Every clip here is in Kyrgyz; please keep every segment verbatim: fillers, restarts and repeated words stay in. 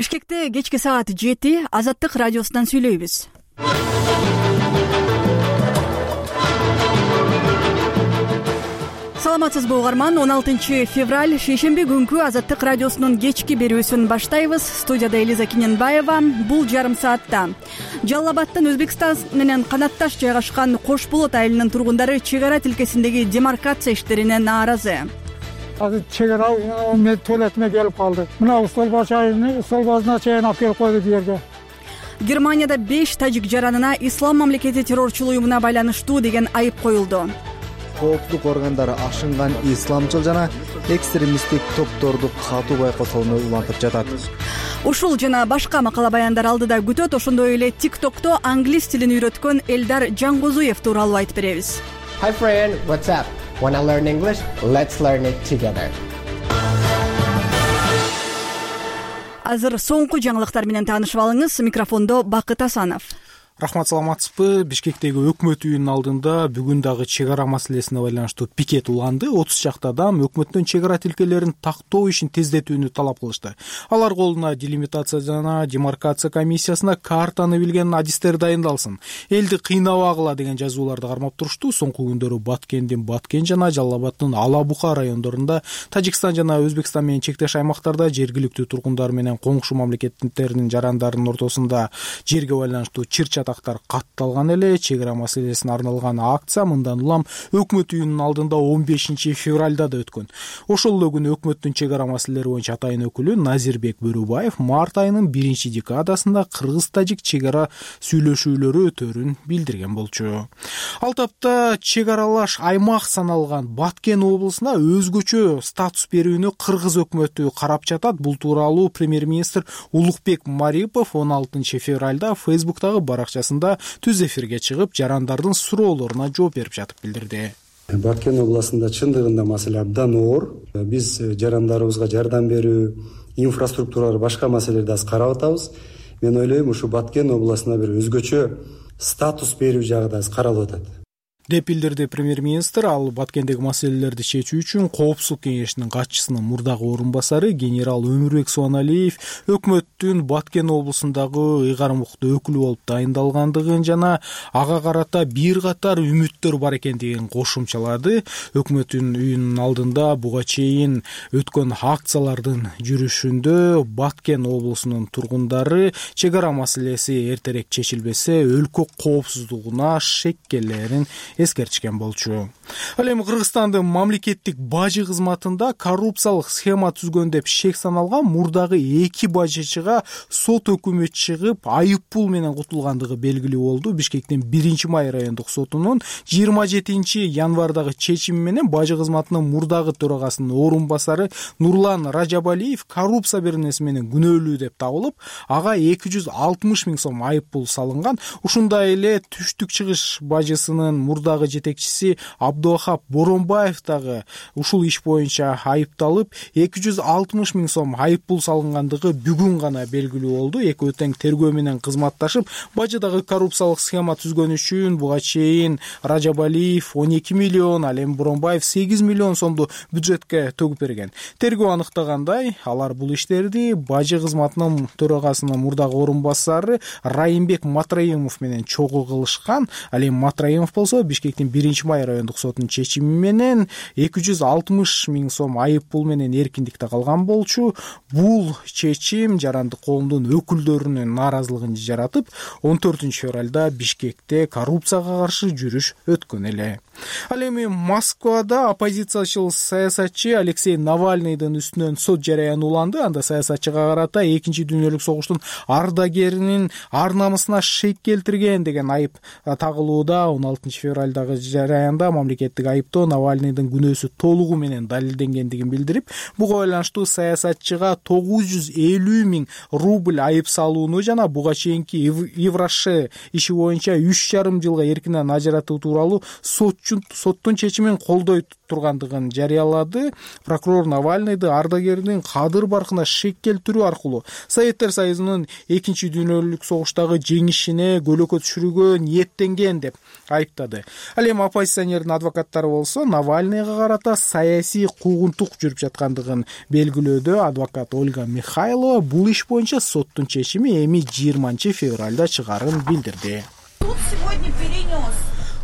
Бишкекте кечки саат жети Азаттык радиосунан сүйлөйбүз. Саламатсызбы угарман, он алтынчы февраль шейшемби күнкү Азаттык радиосунун кечки берүүсүн баштайбыз. Студияда Элиза Киненбаева. Бул жарым саатта Жалал Абадтан Өзбекстан менен канатташ жайгашкан Кош Болот айылынын тургундары чек ара тилкесиндеги демаркация иштерине нааразы. Азыр чек ара мен туалетиме келип калды. Мына стол башайны, стол башына чейин алып келип койду бу жерге. Германияда беш тажик жаранына Ислам мамлекети террорчулук уюмуна байланыштуу деген айып коюлду. Коопсуздук органдары ашынган исламчыл жана экстремисттик топторду катуу байкосоону улантып жатат. Ушул жана башка макала баяндар алдыда күтөт. Ошондой эле TikTok'то англис тилин үйрөткөн Элдар Жангозуев тууралуу айтып беребиз. Hi friend, what's up? Wanna learn English? Let's learn it together. Азыр соңку жаңылыктар менен таанышып алыңыз. Микрофондо Бакыт Асанов. Рахмат, саламатсызбы? Бишкектеги өкмөт үйүнүнүн алдында бүгүн дагы чек ара маселесине байланыштуу пикет уланды. отуз чакты адам өкмөттөн чек ара тилкелерин тактоо ишин тездетүүнү талап кылышты. Алар колуна делимитация жана демаркация комиссиясына картаны билген адистер дайындалсын, элди кыйнабагыла деген жазууларды кармап турушту. Соңку күндөрү Баткендин Баткен жана Жалал Абадтын Ала Бука райондорунда, Тажикстан жана Өзбекстан менен чектеш аймактарда жергиликтүү тургундар менен коңшу мамлекеттердин жарандарынын ортосунда жерге байланыштуу чыр тактар катталган эле. Чек ара маселесине арналган акция мындан улам өкмөт үйүнүнүн алдында он бешинчи февралда да өткөн. Ошол эле күнү өкмөттүн чек ара маселелери боюнча атайын өкүлү Назирбек Бөрүбаев март айынын биринчи декадасында кыргыз-тажик чек ара сүйлөшүүлөрү өтөрүн билдирген болчу. Ал тапта чек аралаш аймак саналган Баткен облусуна өзгөчө статус берүүнү кыргыз өкмөтү карап жатат. Бул тууралуу премьер-министр Улукбек Марипов он алтынчы февралда Facebook'тагы баракчасында түз эфирге чыгып, жарандардын суроолоруна жооп берип жатып билдирди. Баткен областында чындыгында маселе абдан оор. Биз жарандарыбызга жардам берүү, инфраструктуралар, башка маселелерди аз карап атабыз. Мен ойлойм, ушу Баткен областына бир өзгөчө статус берүү жагы да аз каралып атат деп билдирди премьер-министр. Ал Баткендеги маселелерди чечүү үчүн Коопсуздук кеңешинин катчысынын мурдагы орун басары генерал Өмүрбек Суаналиев өкмөттүн Баткен облусундагы ыйгарым укуктуу өкүлү болуп дайындалгандыгын жана ага карата бир катар үмүттөр бар экендигин кошумчалады. Өкмөттүн үйүнүнүн алдында буга чейин өткөн акциялардын жүрүшүндө Баткен облусунун тургундары чек ара маселеси эртерээк чечилбесе өлкө коопсуздугуна шеккелерин эскертишкен болчу. Ал эми Кыргызстандын мамлекеттик бажы кызматында коррупциялык схема түзгөн деп шек саналган мурдагы эки бажычыга сот өкүмү чыгып, айып пул менен кутулгандыгы белгилүү болду. Бишкектин биринчи май райондук сотунун жыйырма жетинчи январдагы чечими менен бажы кызматынын мурдагы төрагасынын орун басары Нурлан Ражабалиев коррупция беренеси менен күнөөлүү деп табылып, ага эки жүз алтымыш миң сом айып пул салынган. Ушундай эле Түштүк Чыгыш бажысынын мурдагы жетекчиси Абдухап Боронбаев дагы ушул иш боюнча айыпталып, эки жүз алтымыш миң сом айып пул салынгандыгы бүгүн гана белгилүү болду. Экөө тең тергөө менен кызматташып, бажыдагы коррупциялык схема түзгөн үчүн буга чейин Ражабалиев он эки миллион, ал эми Боронбаев сегиз миллион сомду бюджетке төгүп берген. Тергөө аныктагандай, алар бул иштерди бажы кызматынын төрагасынын мурдагы орун басары Райымбек Матраимов менен чогуу кылышкан. Ал эми Матраимов болсо Бишкектин биринчи май райондук сотунун чечими менен эки жүз алтымыш миң сом айып пул менен эркиндикте калган болчу. Бул чечим жарандык коомдун өкүлдөрүнүн нааразылыгын жаратып, он төртүнчү февралда Бишкекте коррупцияга каршы жүрүш өткөн эле. Ал эми Москвада оппозициячыл саясатчы Алексей Навальныйдын үстүнөн сот жарыяны уланды. Анда саясатчыга карата экинчи дүйнөлүк согуштун ардагеринин ар намысына шек келтирген деген айып тагылууда. он алтынчы февралдагы жараянда мамлекеттик айыптоо Навальныйдын күнөөсү толугу менен далилденгендигин билдирип, буга байланыштуу саясатчыга тогуз жүз элүү миң рубль айып салууну жана буга чейинки Евроше иши боюнча үч жарым жылга эркинен ажыратуу тууралуу соттун чечимин колдой тургандыгын жарыялады. Прокурор Навальныйды ардагердин кадыр баркына шек келтирүү аркылуу Советтер Союзунун экинчи дүйнөлүк согуштагы жеңишине көлөкө түшүрүүгө ниеттенген деп айыптады. Ал эми оппозиционердин адвокаттары болсо Навальныйга карата саясий куугунтук жүрүп жаткандыгын белгилөөдө. Адвокат Ольга Михайлова бул иш боюнча соттун чечими эми жыйырманчы февралда чыгаарын билдирди. Суд сегодня перенес.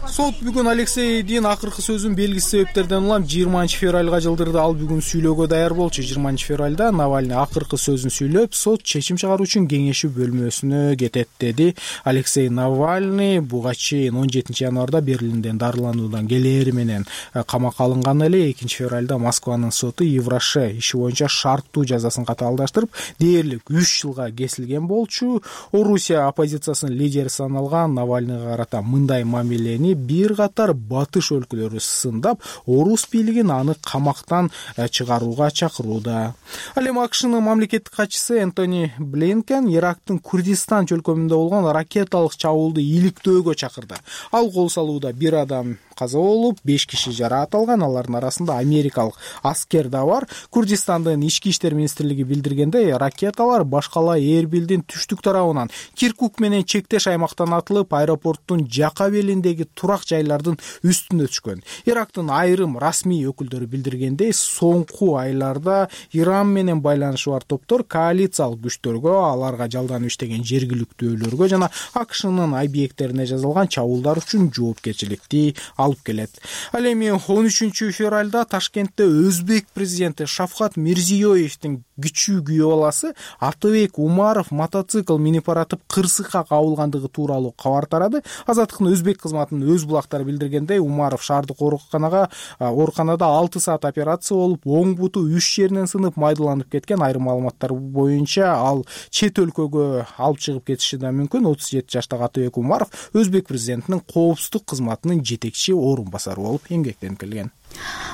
Сот бүгүн Алексейдин акыркы сөзүн белгисиз себептерден улам жыйырманчы февралга жылдырды. Ал бүгүн сүйлөөгө даяр болчу. жыйырманчы февралда Навальный акыркы сөзүн сүйлөп, сот чечим чыгаруу үчүн кеңешүү бөлмөсүнө кетет деди. Алексей Навальный буга чейин он жетинчи январда Берлинден дарылануудан келери менен камакка алынган эле. экинчи февралда Москванын соту Евроше иши боюнча шарттуу жазасын катаалдаштырып, дээрлик үч жылга кесилген болчу. Орусия оппозициясынын лидери саналган Навальныйга карата мындай мамилени бир катар батыш өлкөлөрү сындап, орус бийлигин аны камактан чыгарууга чакырууда. Ал эми АКШнын мамлекеттик катчысы Энтони Блинкен Ирактын Курдистан чөлкөмүндө болгон ракеталык чабуулду иликтөөгө чакырды. Ал кол салууда бир адам каза болуп, беш киши жараат алган. Алардын арасында америкалык аскер да бар. Курдистандын ички иштер министрлиги билдиргендей, ракеталар башкала Эрбилдин түштүк тарабынан Киркук менен чектеш аймактан атылып, аэропорттун жака белиндеги турак жайлардын үстүнө түшкөн. Ирактын айрым расмий өкүлдөрү билдиргендей, соңку айларда Иран менен байланышы бар топтор коалициялык күчтөргө, аларга жалданып иштеген жергиликтүүлөргө жана АКШнын объекттерине жасалган чабуулдар үчүн жоопкерчиликти алып келет. Ал эми он үчүнчү февралда Ташкентте Өзбек президенти Шавкат Мирзиёевдин кичүү күйөө баласы Атыбек Умаров мотоцикл минип баратып кырсыкка кабылгандыгы тууралуу кабар тарады. Азаттыктын өзбек кызматынын өз булактары билдиргендей, Умаров шаардык ооруканага ооруканада алты саат операция болуп, оң буту үч жеринен сынып майдаланып кеткен. Айрым маалыматтар боюнча ал чет өлкөгө алып чыгып кетиши да мүмкүн. отуз жети жаштагы Атыбек Умаров өзбек президентинин коопсуздук кызматынын жетекчи орун басары болуп эмгектенип келген.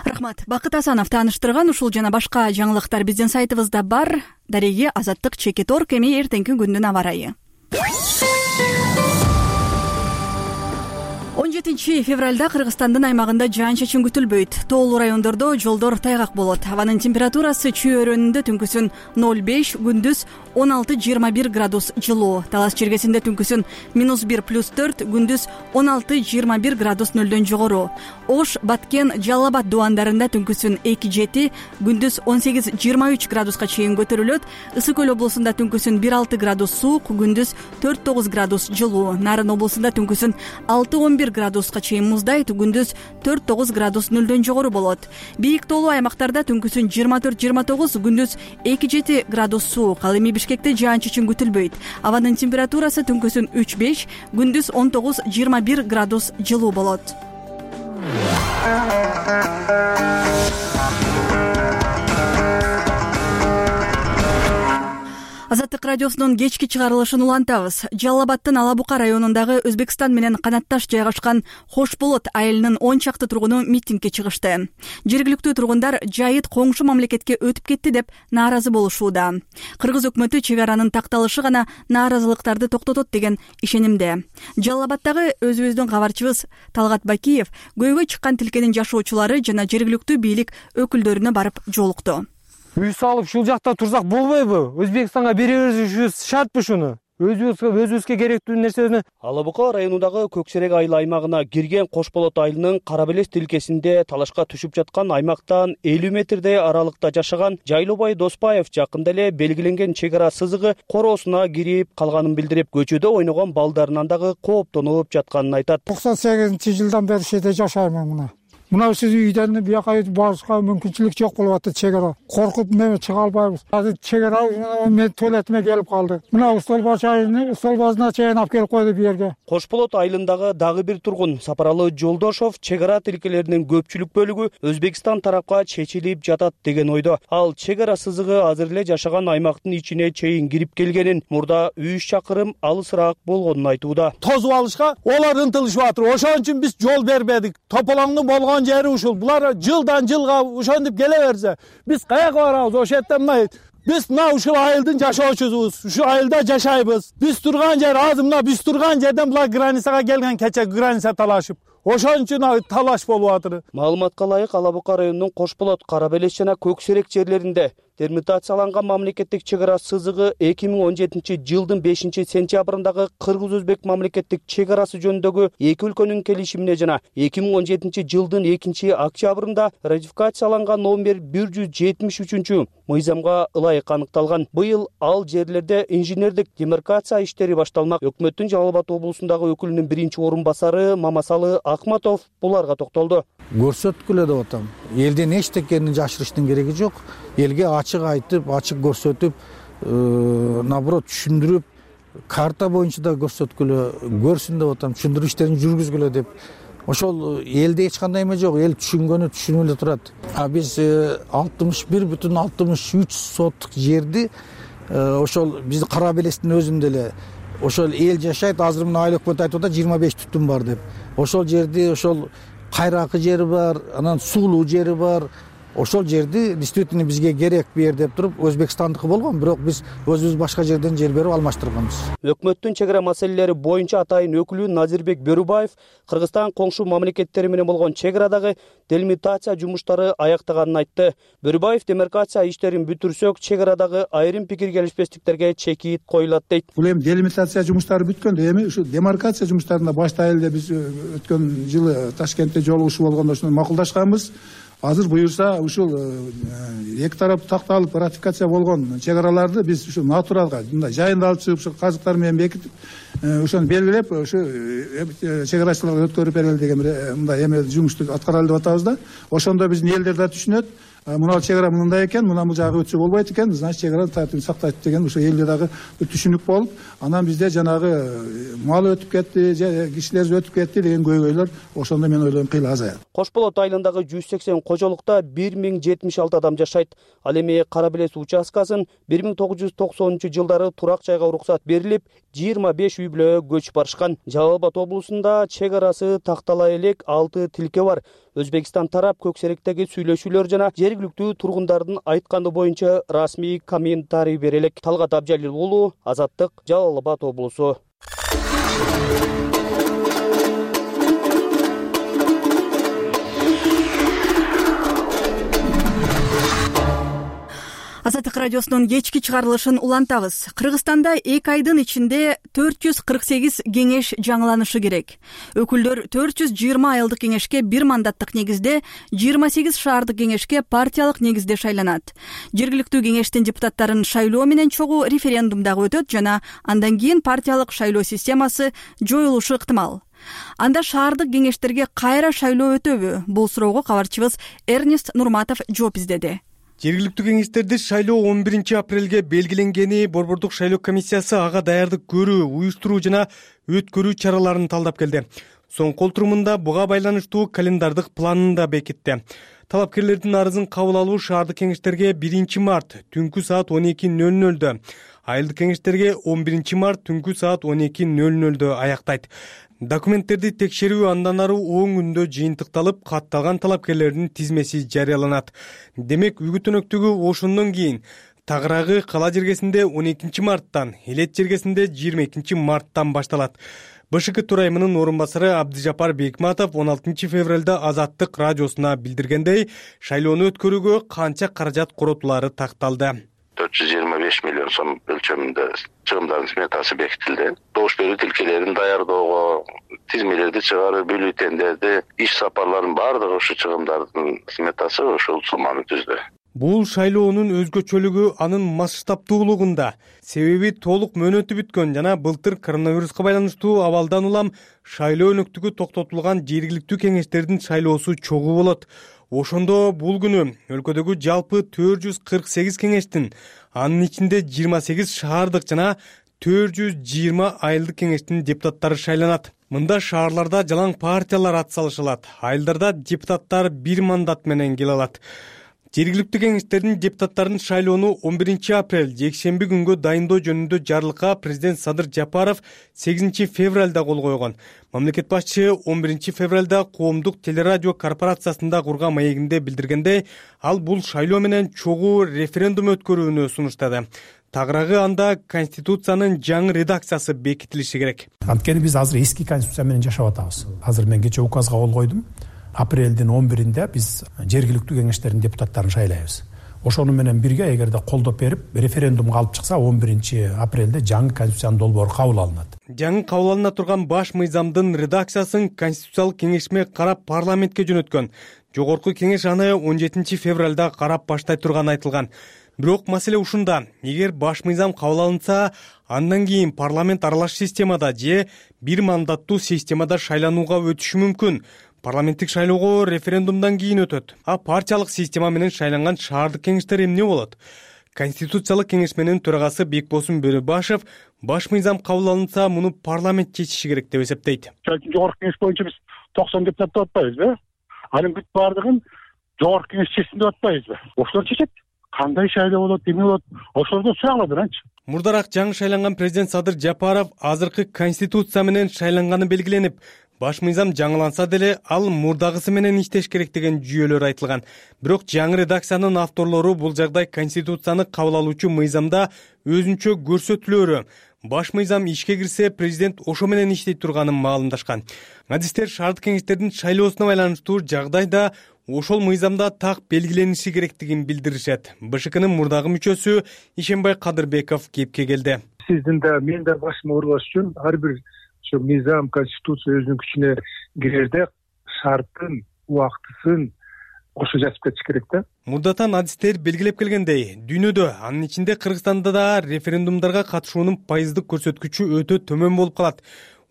Рахмат. Бакыт Асанов тааныштырган ушул жана башка жаңылыктар биздин сайтыбызда бар. Дареги Азаттык чекит орг. Эми эртеңки күндүн аба ырайы. он жетинчи февралда Кыргызстандын аймагында жаан-чачын күтүлбөйт. Тоолуу райондордо жолдор тайгак болот. Абанын температурасы чүй өрөөнүндө түнкүсүн ноль беш, күндүз он алты жыйырма бир градус жылуу. Талас чергесинде түнкүсүн минус бир плюс төрт, күндүз он алты жыйырма бир градус нөлдөн жогору. Ош, Баткен, Жалал Абад дубандарында түнкүсүн эки жети, күндүз он сегиз жыйырма үч градуска чейин көтөрүлөт. Ысык көл облусунда түнкүсүн бир алты градус суук, күндүз төрт тогуз градус жылуу. Нарын облусунда түнкүсүн алты он бир градуска чейин муздайт, күндүз төрт тогуз градус нөлдөн жогору болот. Бийик тоолуу аймактарда түнкүсүн жыйырма төрт жыйырма тогуз, күндүз эки жети градус суук. Ал эми Бишкекте жаан-чачын күтүлбөйт. Абанын температурасы түнкүсүн үч беш, күндүз он тогуз жыйырма бир градус жылуу болот. Азаттык радиосунун кечки чыгарылышын улантабыз. Жалал Абадтын Ала Бука районундагы Өзбекстан менен канатташ жайгашкан Хош Болот айылынын он чакты тургуну митингге чыгышты. Жергиликтүү тургундар жайыт коңшу мамлекетке өтүп кетти деп нааразы болушууда. Кыргыз өкмөтү чек аранын такталышы гана нааразылыктарды токтотот деген ишенимде. Жалал Абадтагы өзүбүздүн кабарчыбыз Талгат Бакиев көйгөй чыккан тилкенин жашоочулары жана жергиликтүү бийлик өкүлдөрүнө барып жолукту. Үй салып ушул жакта турсак болбойбу? Өзбекстанга беребиз шартпы шуну? Өзүбүзгө өзүбүзгө керектүү нерсени. Ала Бука районундагы Көксерек айыл аймагына кирген Кош Болот айылынын Кара Белес тилкесинде талашка түшүп жаткан аймактан элүү метрдей аралыкта жашаган Жайлообай Доспаев жакында эле белгиленген чек ара сызыгы короосуна кирип калганын билдирип, көчөдө ойногон балдарынан дагы кооптонуп жатканын айтат. токсон сегизинчи жылдан бери ушерде жашайм мына. Мына сиз үйдөн бияка барышка мүмкүнчүлүк жок болуп атты чек ара. Коркуп мен чыга албайбыз. Азыр чек ара мен туалетиме келип калды. Мына стол башайын, стол башына чейин алып келип койду бу жерге. Кош Болот айылындагы дагы бир тургун Сапаралы Жолдошов чек ара тилкелеринин көпчүлүк бөлүгү Өзбекстан тарапка чечилип жатат деген ойдо. Ал чек ара сызыгы азыр эле жашаган аймактын ичине чейин кирип келгенин, мурда үч чакырым алысыраак болгонун айтууда. Тозуп алышка олар ынтылышып атыр. Ошон үчүн биз жол бербедик. Тополоңдун болгон жери ушул. Булар жылдан жылга ошентип келе берсе, биз каяка барабыз? Ошол жерден мына биз мына ушул айылдын жашоочусубуз. Ушул айылда жашайбыз. Биз турган жер азыр мына биз турган жерден булар границага келген, кече граница талашып. ошон үчүн талаш болуп атыр. Маалыматка ылайык Ала Бука районунун Кош Болот, Кара Белес жана Көк Серек жерлеринде делимитацияланган мамлекеттик чек ара сызыгы эки миң он жетинчи жылдын бешинчи сентябрындагы Кыргыз-Өзбек мамлекеттик чек арасы жөнүндөгү эки өлкөнүн келишимине жана эки миң он жетинчи жылдын экинчи октябрында ратификацияланган номер бир жүз жетимиш үчүнчү мыйзамга ылайык аныкталган. Быйыл ал жерлерде инженердик демаркация иштери башталмак. Өкмөттүн Жалал Абад облусундагы өкүлүнүн биринчи орун басары Мамасалы Акматов буларга токтолду. Көрсөткүлө деп атам. Элден эчтекени жашырыштын кереги жок. Элге ачык айтып, ачык көрсөтүп, наоборот түшүндүрүп, карта боюнча да көрсөткүлө, көрсүн деп атам, түшүндүрүү иштерин жүргүзгүлө деп. Ошол элде эч кандай эме жок, эл түшүнгөнү түшүнүп эле турат. А биз алтымыш бир бүтүн алтымыш үч соттук жерди ошол биздин Кара Белестин өзүндө эле ошол эл жашайт. Азыр мына айыл өкмөтү айтып атат жыйырма беш түтүн бар деп. Ошол жерди ошол кайракы жери бар, анан суулуу жери бар. Ошол жерди действительно бизге керек бер деп туруп Өзбекстандыкы болгон, бирок биз өзүбүз башка жерден жер берип алмаштырганбыз. Өкмөттүн чек ара маселелери боюнча атайын өкүлү Назирбек Бөрүбаев Кыргызстан коңшу мамлекеттери менен болгон чек арадагы делимитация жумуштары аяктаганын айтты. Бөрүбаев демаркация иштерин бүтүрсөк, чек арадагы айрым пикир келишпестиктерге чекит коюлат дейт. Бул эми делимитация жумуштары бүткөндө эми ушу демаркация жумуштарына баштайлы деп биз өткөн жылы Ташкентте жолугушуу болгондо ушуну макулдашканбыз. Азыр буюрса ушул эки тарап такталып ратификация болгон чек араларды биз ушу натуралга мындай жайында алып чыгып ушу казыктар менен бекитип ошону белгилеп ушу чек арачыларга өткөрүп берели деген мындай эме жумушту аткаралы деп атабыз да. Ошондо биздин элдер да түшүнөт. Мына чек ара мындай экен, мына бул жагы өтсө болбойт экен, значит чек араны тартип сактайт деген ошо элде дагы түшүнүк болуп, анан бизде жанагы мал өтүп кетти, кишилер өтүп кетти деген көйгөйлөр ошондо мен ойлойм кыйла азаят. Кош Болот айылындагы жүз сексен кожолукта бир миң жетимиш алты адам жашайт. Ал эми Кара Белес участкасын бир миң тогуз жүз токсонунчу жылдары турак жайга уруксат берилип, жыйырма беш үй бүлө көчүп барышкан. Жалал Абад облусунда чек арасы тактала элек алты тилке бар. Өзбекстан тарап Көк Серектеги сүйлөшүүлөр жана жергиликтүү тургундардын айтканы боюнча расмий комментарий берелек. Талгат Абжалил уулу, Азаттык, Жалал Абад облусу. Азаттык радиосунун кечки чыгарылышын улантабыз. Кыргызстанда эки айдын ичинде төрт жүз кырк сегиз кеңеш жаңыланышы керек. Өкүлдөр төрт жүз жыйырма айылдык кеңешке бир мандаттык негизде, жыйырма сегиз шаардык кеңешке партиялык негизде шайланат. Жергиликтүү кеңештин депутаттарын шайлоо менен чогуу референдум дагы өтөт жана андан кийин партиялык шайлоо системасы жоюлушу ыктымал. Анда шаардык кеңештерге кайра шайлоо өтөбү? Бул суроого кабарчыбыз Эрнест Нурматов жооп издеди. Жергиликтүү кеңештерди шайлоо он биринчи апрелге белгиленгени Борбордук шайлоо комиссиясы ага даярдык көрүү, уюштуруу жана өткөрүү чараларын талдап келди. Соңку отурумунда буга байланыштуу календардык планын да бекитти. Талапкерлердин арызын кабыл алуу шаардык кеңештерге биринчи март түнкү саат он эки нөл нөлдө, айылдык кеңештерге он биринчи март түнкү саат он эки нөл нөлдө аяктайт. Документтерди текшерүү андан ары он күндө жыйынтыкталып, катталган талапкерлердин тизмеси жарыяланат. Демек, үгүт-өнөктүгү ошондон кийин Тагыраагы кала жергесинде он экинчи марттан, Элет жергесинде жыйырма экинчи марттан башталат. БШК төрайымынын орун басары Абдыжапар Бекматов он алтынчы февралда Азаттык радиосуна билдиргендей, шайлоону өткөрүүгө канча каражат коротулары такталды. төрт жүз жыйырма беш миллион сом өлчөмүндө чыгымдардын сметасы бекитилди. Добуш берүү тилкелерин даярдоого, тизмелерди чыгаруу, бюллетендерди, иш сапарларынын баардыгы ушу чыгымдардын сметасы ошол сумманы түздү. Бул шайлоонун өзгөчөлүгү анын масштабтуулугунда. Себеби толук мөөнөтү бүткөн жана былтыр коронавируска байланыштуу абалдан улам шайлоо өнөктүгү токтотулган жергиликтүү кеңештердин шайлоосу чогуу болот. Ошондо бул күнү өлкөдөгү жалпы төрт жүз кырк сегиз кеңештин, анын ичинде жыйырма сегиз шаардык жана төрт жүз жыйырма айылдык кеңештин депутаттары шайланат. Мында шаарларда жалаң партиялар ат салышылат, айылдарда депутаттар бир мандат менен келе алат. Жергиликтүү кеңештердин депутаттарын шайлоону он биринчи апрель жекшемби күнгө дайындоо жөнүндө жарлыкка президент Садыр Жапаров сегизинчи февралда кол койгон. Мамлекет башчы он биринчи февралда Коомдук телерадио корпорациясында курган маегинде билдиргендей, ал бул шайлоо менен чогуу референдум өткөрүүнү сунуштады. тагыраагы анда Конституциянын жаңы редакциясы бекитилиши керек. Анткени биз азыр эски Конституция менен жашап атабыз. Азыр мен кечээ указга кол койдум. Апрелдин он биринде биз жергиликтүү кеңештердин депутаттарын шайлайбыз. Ошону менен бирге эгерде колдоп берип референдумга алып чыкса он биринчи апрелде жаңы Конституциянын долбоору кабыл алынат. Жаңы кабыл алына турган баш мыйзамдын редакциясын Конституциялык кеңешме карап парламентке жөнөткөн. Жогорку кеңеш аны он жетинчи февралда карап баштай турганы айтылган. Бирок маселе ушунда. Эгер баш мыйзам кабыл алынса, андан кийин парламент аралаш системада же бир мандаттуу системада шайланууга өтүшү мүмкүн. Парламенттик шайлоого референдумдан кийин өтөт. А партиялык система менен шайланган шаардык кеңештер эмне болот? Конституциялык кеңешменин төрагасы Бекбосун Бөрөбашев баш мыйзам кабыл алынса, муну парламент чечиши керек деп эсептейт. Жогорку кеңеш боюнча биз токсон депутат деп атпайбызбы? Анын бүт бардыгын жогорку кеңеш чечсин деп атпайбызбы? Ошолор чечет. Кандай шайлоо болот, эмне болот? Ошолордон сураглады анчы. Мурдараак жаңы шайланган президент Садыр Жапаров азыркы Конституция менен шайланганы белгиленип, баш мыйзам жаңыланса деле ал мурдагысы менен иштеш керек деген жүйөлөр айтылган. Бирок жаңы редакциянын авторлору бул жагдай Конституцияны кабыл алуучу мыйзамда өзүнчө көрсөтүлөөрү. Баш мыйзам ишке кирсе, президент ошо менен иштей турганын маалымдашкан. Адистер шаардык кеңештердин шайлоосуна байланыштуу жагдайда ошол мыйзамда так белгилениши керектигин билдиришет. БШКнын мурдагы мүчөсү Ишенбай Кадырбеков кепке келди. Сиздин да мен да башыма ургаш үчүн ар бир ошо мыйзам, конституция өзүнүн күчүнө кирерде шарттын, убактысын ошо жазып кетиш керек да. Мурдатан адистер белгилеп келгендей, дүйнөдө, анын ичинде Кыргызстанда да референдумдарга катышуунун пайыздык көрсөткүчү өтө төмөн болуп калат.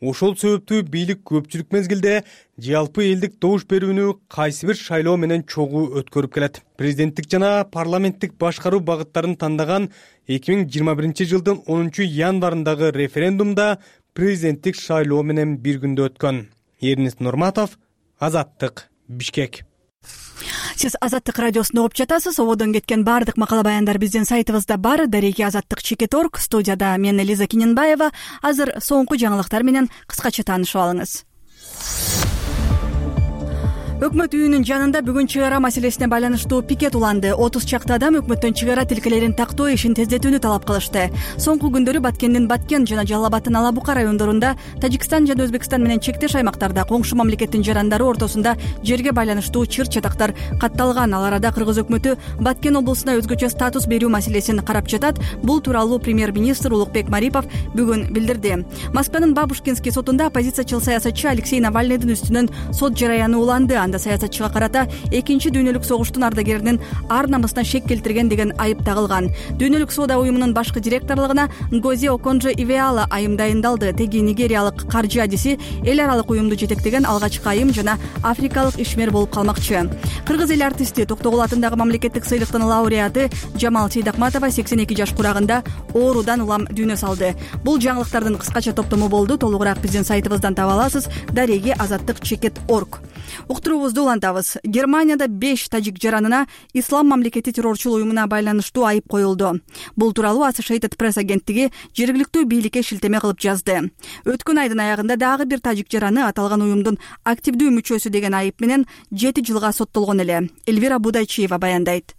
Ошол себептүү бийлик көпчүлүк мезгилде жалпы элдик добуш берүүнү кайсы бир шайлоо менен чогуу өткөрүп келет. Президенттик жана парламенттик башкаруу багыттарын тандаган эки миң жыйырма биринчи жылдын онунчу январындагы референдумда президенттик шайлоо менен бир күндө өткөн. Эрнест Нурматов, Азаттык, Бишкек. Сиз Азаттык радиосун угуп жатасыз. Ободон кеткен баардык макала баяндар биздин сайтыбызда бар. Дареги азаттык чекит точка орг. Студияда мен Элиза Киненбаева. Азыр соңку жаңылыктар менен кыскача таанышып алыңыз. Өкмөт үйүнүн жанында бүгүн чыгара маселесине байланыштуу пикет уланды. отуз чакты адам өкмөттөн чыгара тилкелерин тактоо ишин тездетүүнү талап кылышты. Соңку күндөрү Баткендин Баткен жана Жалал Абадтын Ала Бука райондорунда, Тажикстан жана Өзбекстан менен чектеш аймактарда коңшу мамлекеттин жарандары ортосунда жерге байланыштуу чыр-чатактар катталган. Ал арада Кыргыз өкмөтү Баткен облусуна өзгөчө статус берүү маселесин карап жатат. Бул тууралуу премьер-министр Улукбек Марипов бүгүн билдирди. Москванын Бабушкинский сотунда оппозициячыл саясатчы Алексей Навальныйдын үстүнөн сот жараяны уланды. Саясатчыга карата экинчи дүйнөлүк согуштун ардагеринин ар намысына шек келтирген деген айып тагылган. Дүйнөлүк соода уюмунун башкы директорлугуна Ngozi Okonjo-Iweala айым дайындалды. Теги нигериялык каржы адиси эл аралык уюмду жетектеген алгачкы айым жана африкалык ишмер болуп калмакчы. Кыргыз эл артисти Токтогул атындагы мамлекеттик сыйлыктын лауреаты Жамал Сейдакматова сексен эки жаш курагында оорудан улам дүйнө салды. Бул жаңылыктардын кыскача топтому болду. Толугураак биздин сайтыбыздан таба аласыз. Дареги азаттык чекит точка орг. Уктуруубузду улантабыз. Германияда беш тажик жаранына ислам мамлекети террорчул уюмуна байланыштуу айып коюлду. Бул тууралуу Associated Press агенттиги жергиликтүү бийликке шилтеме кылып жазды. Өткөн айдын аягында дагы бир тажик жараны аталган уюмдун активдүү мүчөсү деген айып менен жети жылга соттолгон эле. Эльвира Будайчиева баяндайт.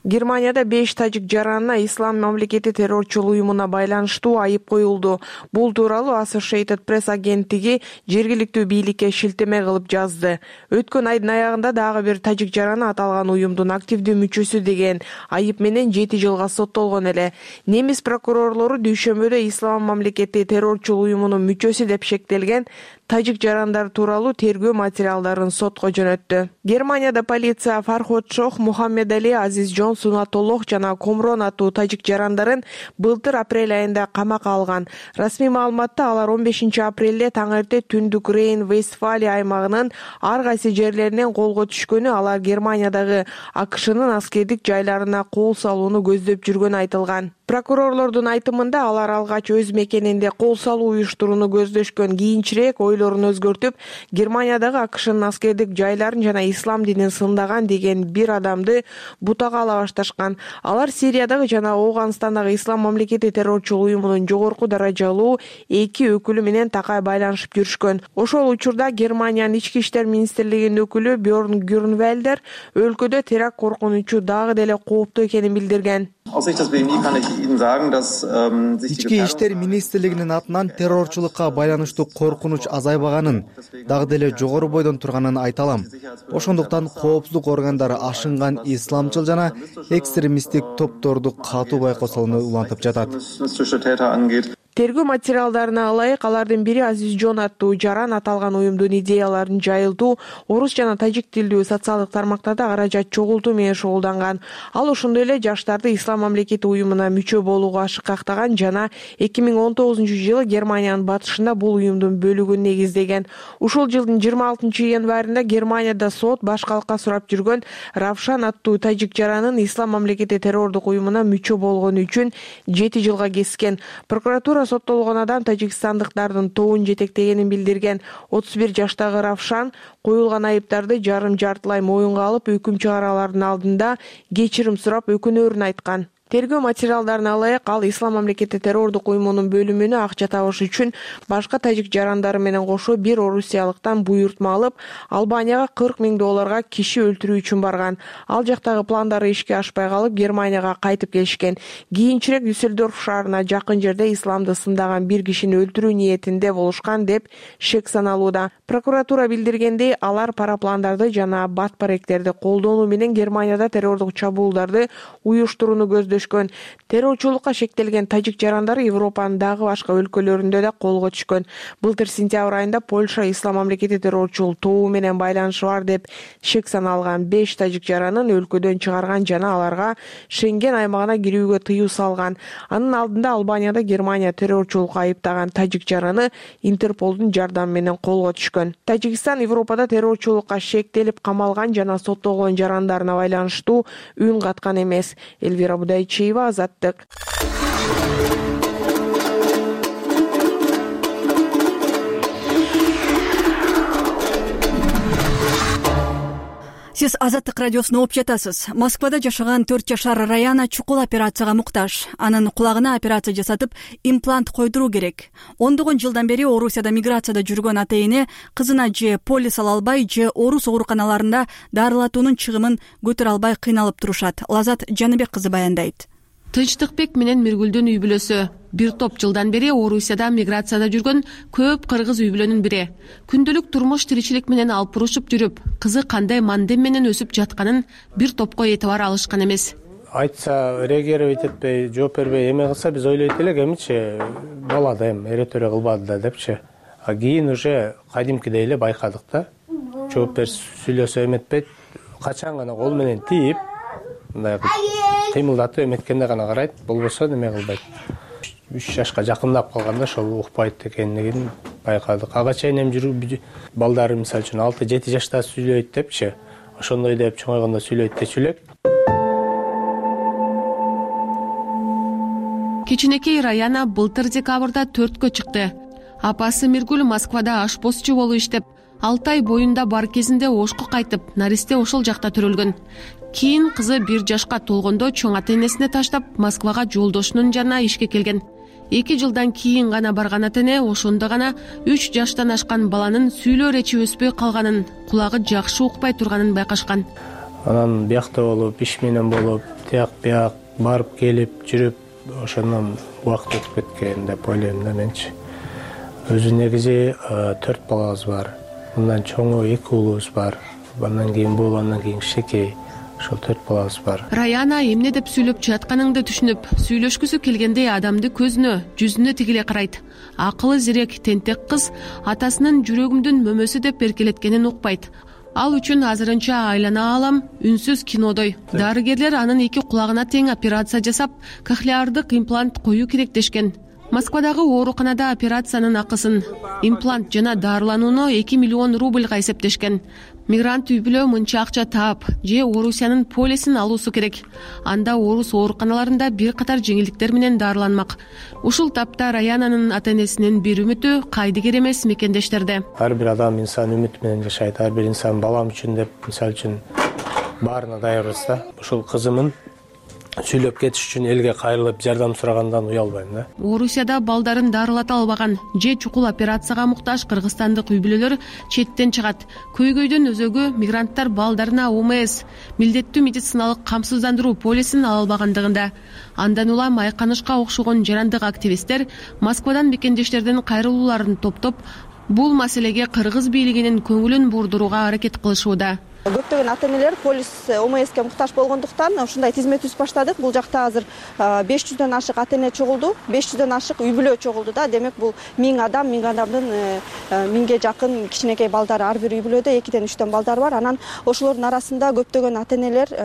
Германияда беш тажик жаранына ислам мамлекети террорчул уюмуна байланыштуу айып коюлду. Бул тууралуу Associated Press агенттиги жергиликтүү бийликке шилтеме кылып жазды. Өткөн айдын аягында дагы бир тажик жараны аталган уюмдун активдүү мүчөсү деген айып менен жети жылга соттолгон эле. Немис прокурорлору дүйшөмбүдө ислам мамлекети террорчул уюмунун мүчөсү деп шектелген тажик жарандар тууралуу тергөө материалдарын сотко жөнөттү. Германияда полиция Фарход Шох, Мухаммед Али, Азиз Жон, Сунатоллох жана Комрон аттуу тажик жарандарын былтыр апрель айында камакка алган. Расмий маалыматта алар он бешинчи апрелде таң эрте түндүк Рейн-Вестфалия аймагынын ар кайсы жерлеринен колго түшкөнү, алар Германиядагы АКШнын аскердик жайларына кол салууну көздөп жүргөнү айтылган. Прокурорлордун айтымында алар алгач өз мекенинде кол салуу уюштурууну көздөшкөн, кийинчерээк ойлорун өзгөртүп, Германиядагы АКШнын аскердик жайларын жана ислам динин сындаган деген бир адамды бутага ала башташкан. Алар Сириядагы жана Ооганстандагы ислам мамлекети террорчул уюмунун жогорку даражалуу эки өкүлү менен такай байланышып жүрүшкөн. Ошол учурда Германиянын ички иштер министрлигинин өкүлү Бьорн Гюрнвелдер өлкөдө теракт коркунучу дагы деле кооптуу экенин билдирген. Ички иштер министрлигинин атынан террорчулукка байланыштуу коркунуч азайбаганын, дагы деле жогору бойдон турганын айта алам. Ошондуктан коопсуздук органдары ашынган исламчыл жана экстремисттик топторду катуу байкосоону улантып жатат. Тергөө материалдарына ылайык алардын бири Азизжон аттуу жаран аталган уюмдун идеяларын жайылтуу, орус жана тажик тилдүү социалдык тармактарда каражат чогултуу менен шугулданган. Ал ошондой эле жаштарды Ислам мамлекети уюмуна мүчө болууга ашыкактаган жана эки миң он тогузунчу жылы Германиянын батышында бул уюмдун бөлүгүн негиздеген. Ушул жылдын жыйырма алтынчы январында Германияда сот баш калкка сурап жүргөн Равшан аттуу тажик жаранын Ислам мамлекети террордук уюмуна мүчө болгону үчүн жети жылга кескен. Прокуратура соттолгон адам тажикстандыктардын тобун жетектегенин билдирген. отуз бир жаштагы Равшан коюлган айыптарды жарым-жартылай моюнга алып, өкүм чыгараалардын алдында кечирим сурап, өкүнөөрүн айткан. Тергөө материалдарына ылайык ал Ислам мамлекети террордук уюмунун бөлүмүнө акча табыш үчүн башка тажик жарандары менен кошо бир орусиялыктан буйртма алып, Албанияга кырк миң долларга киши өлтүрүү үчүн барган. Ал жактагы пландары ишке ашпай калып, Германияга кайтып келишкен. Кийинчерээк Дюссельдорф шаарына жакын жерде исламды сындаган бир кишини өлтүрүү ниетинде болушкан деп шек саналууда. Прокуратура билдиргендей, алар парапландарды жана бат баректерди колдонуу менен Германияда террордук чабуулдарды уюштурууну көздөшкөн. Террорчулукка шектелген тажик жарандары Европанын дагы башка өлкөлөрүндө да колго түшкөн. Былтыр сентябрь айында Польша Ислам мамлекети террорчул тобу менен байланышы бар деп шек саналган беш тажик жаранын өлкөдөн чыгарган жана аларга Шенген аймагына кирүүгө тыюу салган. Анын алдында Албанияда Германия террорчулукка айыптаган тажик жараны Интерполдун жардамы менен колго түшкөн. Тажикстан Европада террорчулукка шектелип камалган жана соттолгон жарандарына байланыштуу үн каткан эмес. Элвира Будайчиева, Азаттык. Сиз Азаттык радиосуна угуп жатасыз. Москвада жашаган төрт жашар Раяна чукул операцияга муктаж. Анын кулагына операция жасатып, имплант койдуруу керек. Ондогон жылдан бери Орусияда миграцияда жүргөн ата эне кызына же полис ала албай, же орус ооруканаларында дарылатуунун чыгымын көтөрө албай кыйналып турушат. Лазат Жаныбек кызы баяндайт. Тынчтыкбек менен Миргүлдүн үй бүлөсү. Бир топ жылдан бери Орусияда миграцияда жүргөн көп кыргыз үй бүлөнүн бири. Күндөлүк турмуш тиричилик менен алпурушуп жүрүп, кызы кандай мандем менен өсүп жатканын бир топко этибар алышкан эмес. Айтса реагировать этпей, жооп бербей эме кылса биз ойлойт элек, эмичи бала да эми эретөре кылбады да депчи. А кийин уже кадимкидей эле байкадык да. Жооп берип сүйлөсө эметпейт. Качан гана кол менен тийип, мындай кыймылдатып эметкенде гана карайт, болбосо неме кылбайт. үч жашка жакындап калганда ошол укпайт экенин байкадык. Ага чейин эми жүрүп балдары мисалы үчүн алты жети жашта сүйлөйт депчи. Ошондой деп чоңойгондо сүйлөйт дечү элек. Кичинекей Раяна былтыр декабрда төрткө чыкты. Апасы Миргүл Москвада ашпозчу болуп иштеп, алты ай боюнда бар кезинде Ошко кайтып, наристе ошол жакта төрөлгөн. Кийин кызы бир жашка толгондо чоң ата энесине таштап, Москвага жолдошунун жанына ишке келген. Эки жылдан кийин гана барган ата эне ошондо гана үч жаштан ашкан баланын сүйлөө речи өспөй калганын, кулагы жакшы укпай турганын байкашкан. Анан биякта болуп, иш менен болуп, тияк бияк барып келип жүрүп, ошондон убакыт өтүп кеткен деп ойлойм да менчи. Өзү негизи төрт балабыз бар. Мындан чоңу эки уулубуз бар. Андан кийин бул, андан кийин кичинекей. Ошол төрт балабыз бар. Раяна эмне деп сүйлөп жатканыңды түшүнүп, сүйлөшкүсү келгендей адамды көзүнө, жүзүнө тигиле карайт. Акылы зирек тентек кыз атасынын жүрөгүмдүн мөмөсү деп эркелеткенин укпайт. Ал үчүн азырынча айлана алам, үнсүз кинодой. Дарыгерлер анын эки кулагына тең операция жасап, кохлеардык имплант коюу керек дешкен. Москвадагы ооруканада операциянын акысын, имплант жана дарыланууну эки миллион рубльга эсептешкен. Мигрант үй бүлө мынча акча таап, же Орусиянын полисин алуусу керек. Анда орус ооруканаларында бир катар жеңилдиктер менен дарыланмак. Ушул тапта Раянанын ата энесинин бир үмүтү кайдыгер эмес мекендештерде. Ар бир адам инсан үмүт менен жашайт. Ар бир инсан балам үчүн деп, мисалы үчүн баарына даярбыз да. Ушул кызымын сүйлөп кетиш үчүн элге кайрылып жардам сурагандан уялбайм да. Орусияда балдарын дарылата албаган же чукул операцияга муктаж кыргызстандык үй бүлөлөр четтен чыгат. Көйгөйдүн өзөгү мигранттар балдарына О М С милдеттүү медициналык камсыздандыруу полисин ала албагандыгында. Андан улам Айканышка окшогон жарандык активисттер Москвадан мекендештердин кайрылууларын топтоп, бул маселеге кыргыз бийлигинин көңүлүн бурдурууга аракет кылышууда. Көптөгөн ата-энелер полис О М Ске муктаж болгондуктан ушундай тизме түзүп баштадык. Бул жакта азыр беш жүздөн ашык ата-эне чогулду, беш жүздөн ашык үй бүлө чогулду да. Демек бул миң адам, миң адамдын миңге жакын кичинекей балдары, ар бир үй бүлөдө экиден үчтөн балдар бар. Анан ошолордун арасында көптөгөн ата-энелер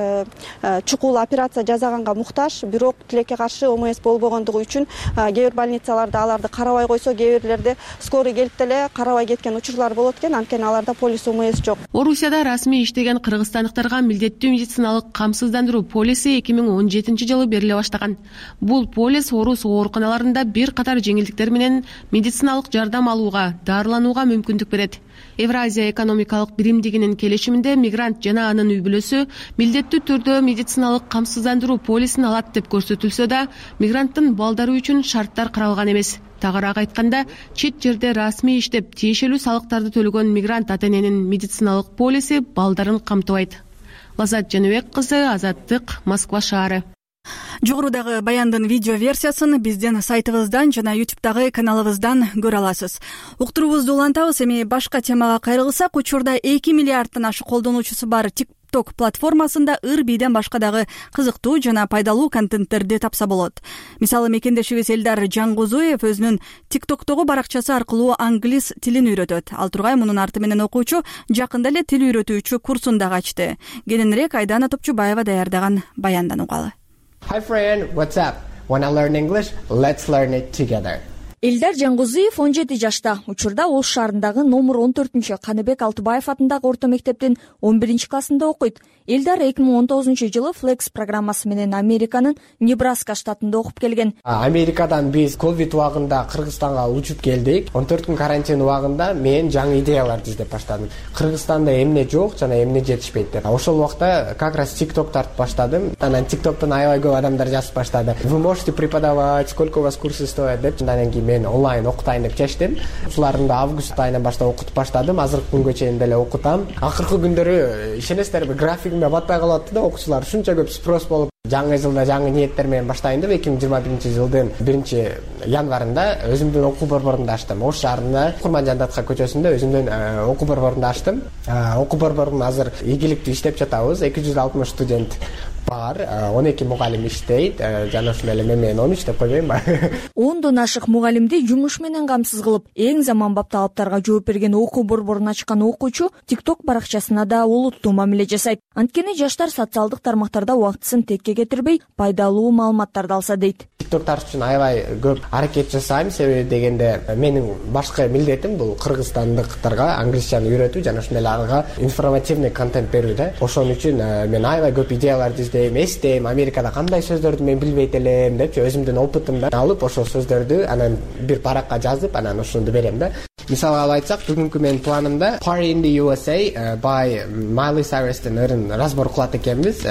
чукул операция жасаганга муктаж, бирок тилекке каршы О М С болбогондугу үчүн кээ бир больницаларда аларды карабай койсо, кээ бирлерде скорый келип деле карабай кеткен учурлар болот экен. Анткени аларда полис О М С жок. Орусияда расмий иштеген кыргызстандыктарга милдеттүү медициналык камсыздандыруу полиси эки миң он жетинчи жылы бериле баштаган. Бул полис орус ооруканаларында бир катар жеңилдиктер менен медициналык жардам алууга, дарыланууга мүмкүндүк берет. Евразия экономикалык биримдигинин келишиминде мигрант жана анын үй бүлөсү милдеттүү түрдө медициналык камсыздандыруу полисин алат деп көрсөтүлсө да, мигранттын балдары үчүн шарттар каралган эмес. Тагыраак айтканда, чет жерде расмий иштеп, тиешелүү салыктарды төлөгөн мигрант ата-эненин медициналык полиси балдарын камтыбайт. Лазат Жаныбек кызы, Азаттык, Москва шаары. Жогорудагы баяндын видео версиясын биздин сайтыбыздан жана ютубтагы каналыбыздан көрө аласыз. Уктуруубузду улантабыз. Эми башка темага кайрылсак, учурда эки миллиардтан ашык колдонуучусу бар TikTok платформасында ыр бийден башка дагы кызыктуу жана пайдалуу контенттерди тапса болот. Мисалы, мекендешибиз Элдар Жангузуев өзүнүн TikTok'тогу баракчасы аркылуу англис тилин үйрөтөт. Ал тургай мунун арты менен окуучу жакында эле тил үйрөтүүчү курсун дагы ачты. Кененирээк Айдана Топчубаева даярдаган баяндан угалы. Hi friend, what's up? Wanna learn English? Let's learn it together. Элдар Жангузуев он жети жашта. Учурда Ош шаарындагы номер он төртүнчү Каныбек Алтыбаев атындагы орто мектептин он биринчи классында окуйт. Элдар эки миң он тогузунчу жылы Flex программасы менен Американын Небраска штатында окуп келген. Америкадан биз ковид убагында Кыргызстанга учуп келдик. он төрт күн карантин убагында мен жаңы идеяларды издеп баштадым. Кыргызстанда эмне жок жана эмне жетишпейт деп. Ошол убакта как раз TikTok тартып баштадым. Анан TikToктон аябай көп адамдар жазып баштады. Вы можете преподавать, сколько у вас курсы стоят деп. Андан кийин мен онлайн окутайын деп чечтим. Ушуларымды август айынан баштап окутуп баштадым. Азыркы күнгө чейин деле окутам. Акыркы күндөрү ишенесиздерби, графигиме батпай калат да, окуучулар ушунча көп спрос болуп, жаңы жылда жаңы ниеттер менен баштайын деп эки миң жыйырма биринчи жылдын биринчи январында өзүмдүн окуу борборумду ачтым. Ош шаарында Курманжандатка көчөсүндө өзүмдүн окуу борборумду ачтым. Окуу борборум азыр ийгиликтүү иштеп жатабыз. эки жүз алтымыш студент бар, он эки мугалим иштейт. Жана ушул эле мен менен он үч деп койбоймбу? ондон ашык мугалимди жумуш менен камсыз кылып, эң заманбап талаптарга жооп берген окуу борборун ачкан окуучу TikTok баракчасына да олуттуу мамиле жасайт. Анткени жаштар социалдык тармактарда убактысын текке кетирбей, пайдалуу маалыматтарды алса дейт. TikTok тартыш үчүн аябай көп аракет жасайм, себеби дегенде менин башкы милдетим бул кыргызстандыктарга англисчаны үйрөтүү жана ошондой эле ага информативный контент берүү да. Ошон үчүн мен аябай көп идеяларды издейм, эстейм, Америкада кандай сөздөрдү мен билбейт элем депчи, өзүмдүн опытымдан алып ошол сөздөрдү анан бир паракка жазып, анан ошону берем да. Мисалы алып айтсак, бүгүнкү менин планымда Party in the U S A by Miley Cyrus'тын ырын разбор кылат экенбиз.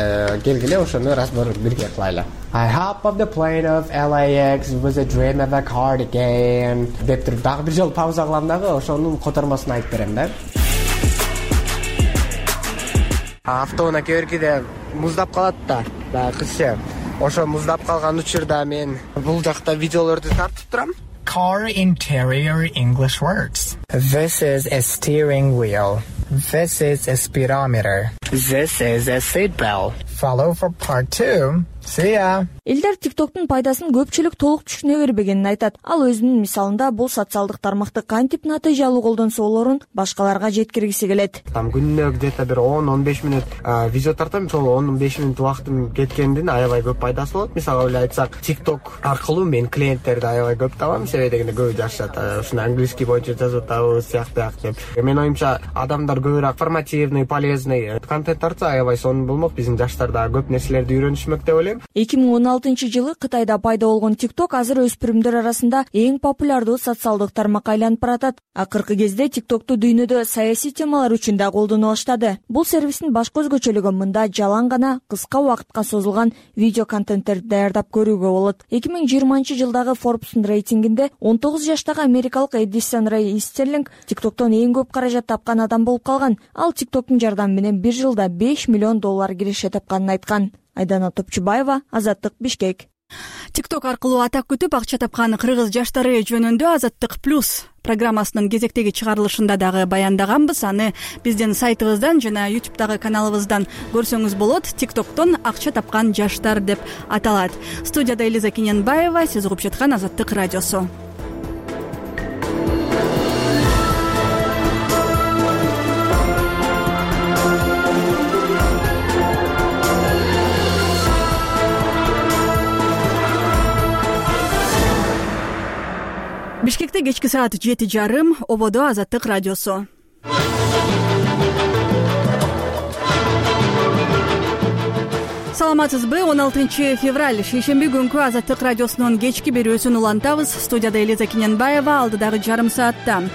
Келгиле ошону разбор бирге кылайлы. I hop off the plane of L A X, it was a dream of a cardigan деп туруп дагы бир жолу пауза кылам дагы, ошонун котормосун айтып берем да. Автоунаа кээ муздап калат да, баягы кызча. Ошо муздап калган учурда мен бул жакта видеолорду тартып турам. Car interior English words. This is a steering wheel. This is a speedometer. This is a seat belt. Follow for part two. See ya. Элдар TikToктун пайдасын көпчүлүк толук түшүнө бербегенин айтат. Ал өзүнүн мисалында бул социалдык тармакты кантип натыйжалуу колдонсо болорун башкаларга жеткиргиси келет. Там күнүнө где-то бир он он беш мүнөт видео тартам, ошол он беш мүнөт убактым кеткендин аябай көп пайдасы болот. Мисалы эле айтсак, TikTok аркылуу мен клиенттерди аябай көп табам, себеби дегенде көбү жашат, ушуну английский боюнча жазып атабыз, сыяктуу деп. Мен оюмча адамдар көбүрөөк информативный, полезный контент тартса аябай сонун болмок. Биздин жаштар да көп нерселерди үйрөнүшмөк деп ойлойм. эки миң он алтынчы жылы Кытайда пайда болгон TikTok азыр өспүрүмдөр арасында эң популярдуу социалдык тармак айланып баратат. Акыркы кезде TikToкту дүйнөдө саясий темалар үчүн да колдоно баштады. Бул сервистин башкы өзгөчөлүгү мында жалаң гана кыска убакытка созулган видео контенттерди даярдап көрүүгө болот. эки миң жыйырманчы жылдагы Forbes'ун рейтингинде он тогуз жаштагы америкалык Эдисон Рэй Истерлинг TikToктон эң көп каражат тапкан адам болуп калган. Ал TikToктун жардамы менен бир жылда беш миллион доллар киреше тапканын айткан. Айдана Топчубаева, Азаттык, Бишкек. TikTok аркылуу атак күтүп акча тапкан кыргыз жаштары жөнүндө Азаттык плюс программасынын кезектеги чыгарылышында дагы баяндаганбыз. Аны биздин сайтыбыздан жана YouTube'дагы каналыбыздан көрсөңүз болот. TikToктон акча тапкан жаштар деп аталат. Студияда Элиза Кененбаева, сиз угуп жаткан Азаттык радиосу. Бишкекте кечки саат жети жарым, ободо Азаттык радиосу. Саламатсызбы? он алтынчы февраль шейшемби күнкү Азаттык радиосунун кечки берүүсүн улантабыз. Студияда Элиза Кененбаева, алдыдагы жарым саатта.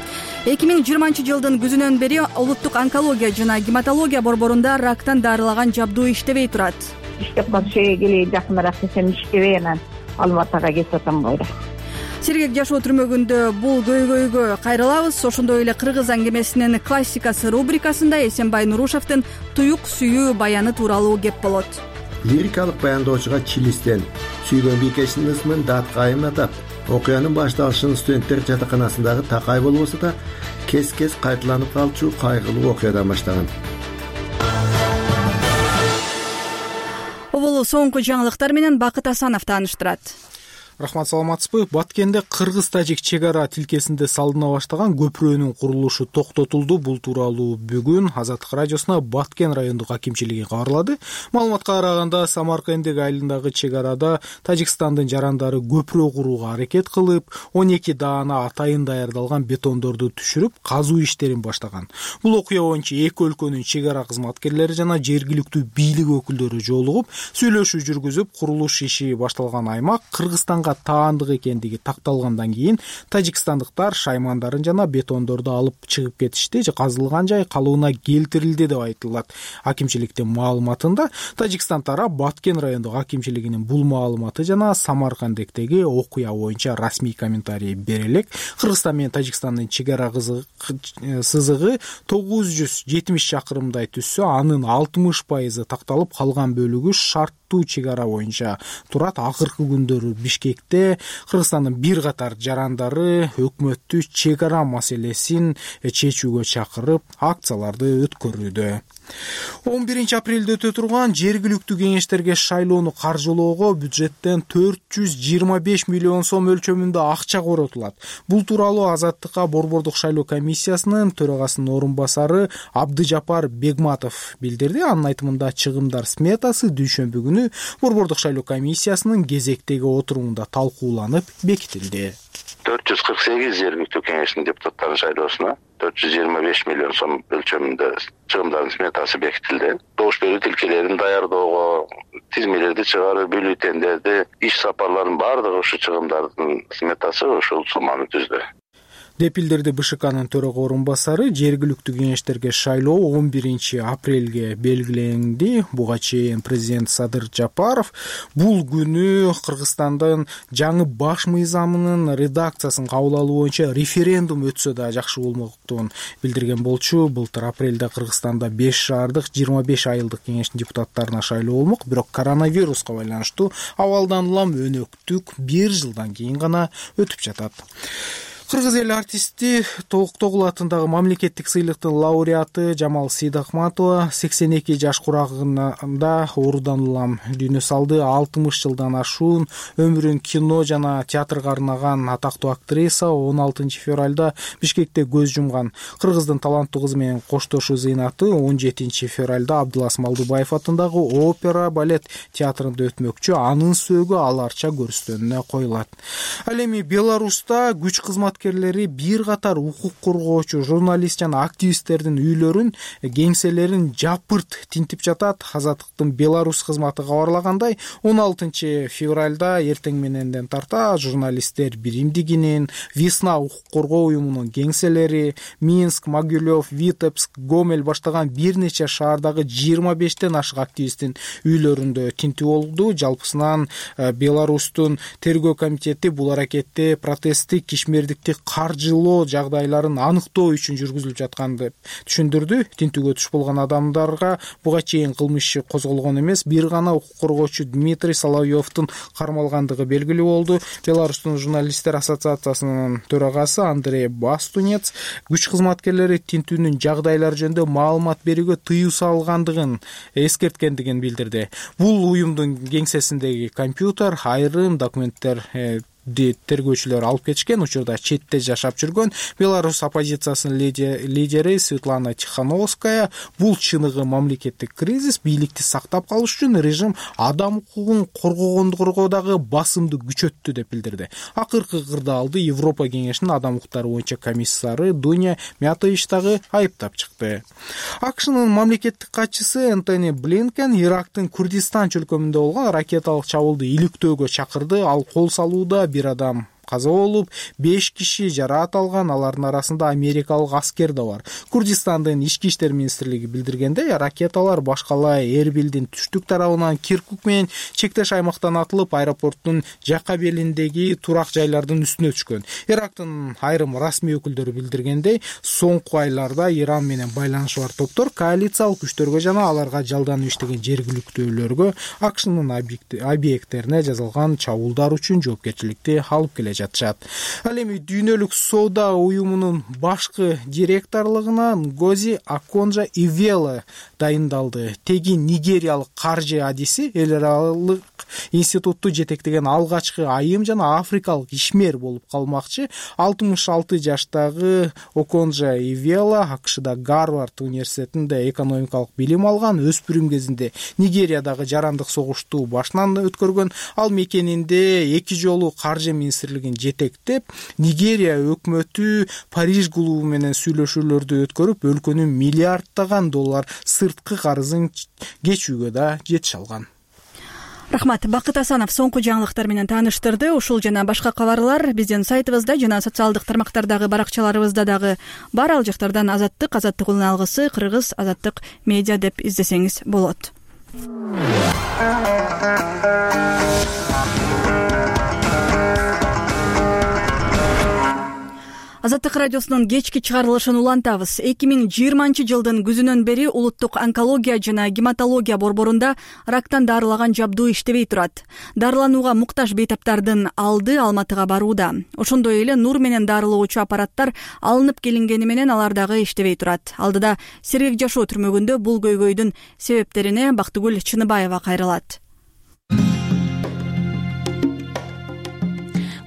эки миң жыйырманчы жылдын күзүнөн бери улуттук онкология жана гематология борборунда рактан дарылаган жабдуу иштебей турат. Иштеп калышыга келейин, жакыныраак десем иштебей, анан Алматыга кетип атам койду. Сергек жашоо түрмөгүндө бул көйгөйгө кайрылабыз. Ошондой эле кыргыз аңгемесинин классикасы рубрикасында Эсенбай Нурушевдин туюк сүйүү баяны тууралуу кеп болот. Лирикалык баянdoочуга чилистен сүйгөн бийкесинин ысмын дат кайым атап, окуянын башталышын студенттер жатаканасындагы такай болбосо да кес-кес кайталанып калчу кайгылуу окуядан баштаган. Бул соңку жаңылыктар менен Бакыт Асанов тааныштырат. Рахмат, саламатсызбы? Баткенде кыргыз-тажик чек ара тилкесинде салдына баштаган көпүрөнүн курулушу токтотулду. Бул тууралуу бүгүн Азаттык радиосуна Баткен райондук акимчилиги кабарлады. Маалыматка караганда, Самаркандек айылындагы чек арада Тажикстандын жарандары көпүрө курууга аракет кылып, он эки даана атайын даярдалган бетондорду түшүрүп, казуу иштерин баштаган. Бул окуя боюнча эки өлкөнүн чек ара кызматкерлери жана жергиликтүү бийлик өкүлдөрү жолугуп, сүйлөшүү жүргүзүп, курулуш иши башталган аймак Кыргызстанга таандык экендиги такталгандан кийин тажикстандыктар шаймандарын жана бетондорду алып чыгып кетишти. Казылган жай калыбына келтирилди деп айтылат. Акимчиликтин маалыматында Тажикстан тарап Баткен райондук акимчилигинин бул маалыматы жана Самаркандектеги окуя боюнча расмий комментарий бере элек. Кыргызстан менен Тажикстандын чек ара сызыгы тогуз жүз жетимиш чакырымдай түссө, анын алтымыш пайызы такталып, калган бөлүгү шарттуу чек ара боюнча турат. Акыркы күндөрү Бишкек Кыргызстандын бир катар жарандары өкмөттү чек ара маселесин чечүүгө чакырып, акцияларды өткөрүүдө. он биринчи апрелде өтө турган жергиликтүү кеңештерге шайлоону каржылоого бюджеттен төрт жүз жыйырма беш миллион сом өлчөмүндө акча коротулат. Бул тууралуу Азаттыкка борбордук шайлоо комиссиясынын төрагасынын орун басары Абдыжапар Бегматов билдирди. Анын айтымында чыгымдар сметасы дүйшөмбү күнү борбордук шайлоо комиссиясынын кезектеги отурумунда талкууланып бекитилди. төрт жүз кырк сегиз жергиликтүү кеңештин депутаттарын шайлоосуна төрт жүз жыйырма беш миллион сом өлчөмүндө чыгымдардын сметасы бекитилди. Добуш берүү тилкелерин даярдоого, тизмелерди чыгарып, бюллетендерди, иш сапарларынын баардыгы ушу чыгымдардын сметасы ушул сумманы түздү деп билдирди БШКнын төрага орун басары. Жергиликтүү кеңештерге шайлоо он биринчи апрелге белгиленди. Буга чейин президент Садыр Жапаров бул күнү Кыргызстандын жаңы баш мыйзамынын редакциясын кабыл алуу боюнча референдум өтсө да жакшы болмоктугун билдирген болчу. Былтыр апрелде Кыргызстанда беш шаардык жыйырма беш айылдык кеңештин депутаттарына шайлоо болмок, бирок коронавируска байланыштуу абалдан улам өнөктүк бир жылдан кийин гана өтүп жатат. Кыргыз эл артисти Токтогул атындагы мамлекеттик сыйлыктын лауреаты Жамал Сейдахматова сексен эки жаш курагында оорудан улам дүйнө салды. алтымыш жылдан ашуун өмүрүн кино жана театрга арнаган атактуу актриса он алтынчы февралда Бишкекте көз жумган. Кыргыздын таланттуу кызы менен коштошуу зыйнаты он жетинчи февралда Абдылас Малдыбаев атындагы опера балет театрында өтмөкчү. Анын сөөгү аларча көрүстөнүнө коюлат. Ал эми Беларуста күч кызмат кызматкерлери бир катар укук коргоочу журналист жана активисттердин үйлөрүн, кеңселерин жапырт тинтип жатат. Азаттыктын Беларусь кызматы кабарлагандай, он алтынчы февралда эртең мененден тарта журналисттер Биримдигинин, Весна укук коргоо уюмунун кеңселери, Минск, Могилев, Витебск, Гомель баштаган бир нече шаардагы жыйырма бештен ашык активисттин үйлөрүндө тинтүү болду. Жалпысынан Беларустун тергөө комитети бул аракетти протесттик кишмердикти каржылоо жагдайларын аныктоо үчүн жүргүзүлүп жаткан деп түшүндүрдү. Тинтүүгө туш болгон адамдарга буга чейин кылмыш иши козголгон эмес, бир гана укук коргоочу Дмитрий Соловьевдун кармалгандыгы белгилүү болду. Беларустун журналисттер ассоциациясынын төрагасы Андрей Бастунец күч кызматкерлери тинтүүнүн жагдайлары жөнүндө маалымат берүүгө тыюу салгандыгын эскерткендигин билдирди. Бул уюмдун кеңсесиндеги компьютер, айрым документтер тергөөчүлөр алып кетишкен. Учурда четте жашап жүргөн Беларусь оппозициясынын лидери Светлана Тихановская бул чыныгы мамлекеттик кризис, бийликти сактап калыш үчүн режим адам укугун коргогондугу басымды күчөттү деп билдирди. Акыркы кырдаалды Европа кеңешинин адам укуктары боюнча комиссары Дуня Мятович дагы айыптап чыкты. АКШнын мамлекеттик катчысы Энтони Блинкен Ирактын Курдистан чөлкөмүндө болгон ракеталык чабуулду иликтөөгө чакырды. Ал кол салууда бир адам каза болуп, беш киши жараат алган, алардын арасында америкалык аскер да бар. Курдистандын ички иштер министрлиги билдиргендей, ракеталар башкалай Эрбилдин түштүк тарабынан Киркук менен чектеш аймактан атылып, аэропорттун жакка белиндеги турак жайлардын үстүнө түшкөн. Ирактын айрым расмий өкүлдөрү билдиргендей, соңку айларда Иран менен байланышы бар топтор коалициялык күчтөргө жана аларга жалданып иштеген жергиликтүүлөргө АКШнын объекттерине жасалган чабуулдар үчүн жоопкерчиликти алып келет жатышат. Ал эми дүйнөлүк соода уюмунун башкы директорлугуна Ngozi Okonjo-Iweala дайындалды. Теги нигериялык каржы адиси эл аралык институтту жетектеген алгачкы айым жана африкалык ишмер болуп калмакчы. алтымыш алты жаштагы Okonjo-Iweala АКШда Гарвард университетинде экономикалык билим алган. Өспүрүм кезинде Нигериядагы жарандык согушту башынан өткөргөн. Ал мекенинде эки жолу каржы министрлигин жетектеп, Нигерия өкмөтү Париж клубу менен сүйлөшүүлөрдү өткөрүп, өлкөнүн миллиарддаган доллар сырткы карызын кечүүгө да жетише алган. Рахмат. Бакыт Асанов соңку жаңылыктар менен тааныштырды. Ушул жана башка кабарлар биздин сайтыбызда жана социалдык тармактардагы баракчаларыбызда дагы бар. Ал жактардан Азаттык, Азаттык улун алгысы, Кыргыз Азаттык медиа деп издесеңиз болот. Азаттык радиосунун кечки чыгарылышын улантабыз. эки миң жыйырманчы жылдын күзүнөн бери улуттук онкология жана гематология борборунда рактан дарылаган жабдуу иштебей турат. Дарыланууга муктаж бейтаптардын алды Алматыга барууда. Ошондой эле нур менен дарылоочу аппараттар алынып келингени менен алар дагы иштебей турат. Алдыда сергек жашоо түрмөгүндө бул көйгөйдүн себептерине Бактыгүл Чыныбаева кайрылат.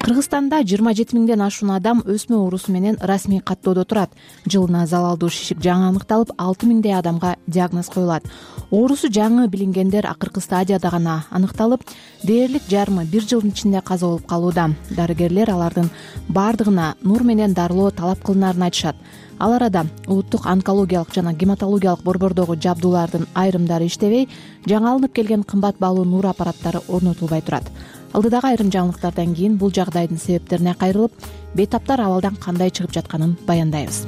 Кыргызстанда жыйырма жети миңден ашуун адам өсмө оорусу менен расмий каттоодо турат. Жылына залалдуу шишик жаңы аныкталып, алты миңдей адамга диагноз коюлат. Оорусу жаңы билингендер акыркы стадияда гана аныкталып, дээрлик жарымы бир жылдын ичинде каза болуп калууда. Дарыгерлер алардын бардыгына нур менен дарылоо талап кылынарын айтышат. Ал арада улуттук онкологиялык жана гематологиялык борбордогу жабдуулардын айрымдары иштебей, жаңы алынып келген кымбат баалуу нур аппараттары орнотулбай турат. Алдыдагы айрым жаңылыктардан кийин бул жагдайдын себептерине кайрылып, бейтаптар абалдан кандай чыгып жатканын баяндайбыз.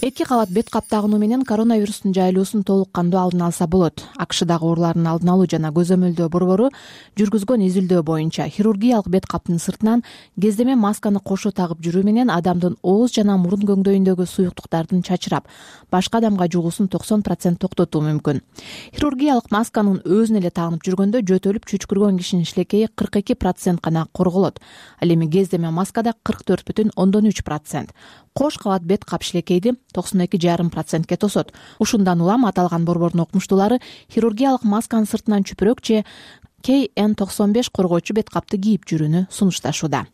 Эки кабат бет кап тагынуу менен коронавирустун жайылуусун толук кандуу алдын алса болот. АКШдагы оорулардын алдын алуу жана көзөмөлдөө борбору жүргүзгөн изилдөө боюнча хирургиялык бет каптын сыртынан кездеме масканы кошо тагып жүрүү менен адамдын ооз жана мурун көңдөйүндөгү суюктуктардын чачырап, башка адамга жугуусун токсон процент токтотуу мүмкүн. Хирургиялык масканын өзүнө эле тагынып жүргөндө жөтөлүп чүчкүргөн кишинин шилекейи кырк эки процент гана корголот. Ал эми кездеме маскада кырк төрт бүтүн ондон үч процент. Кош кабат бет кап шилекейди токсон эки жарым процентке тосот. Ушундан улам аталган борбордун окумуштуулары хирургиялык масканын сыртынан чүпүрөк же кей эн токсон беш коргоочу бет капты кийип жүрүүнү сунушташууда.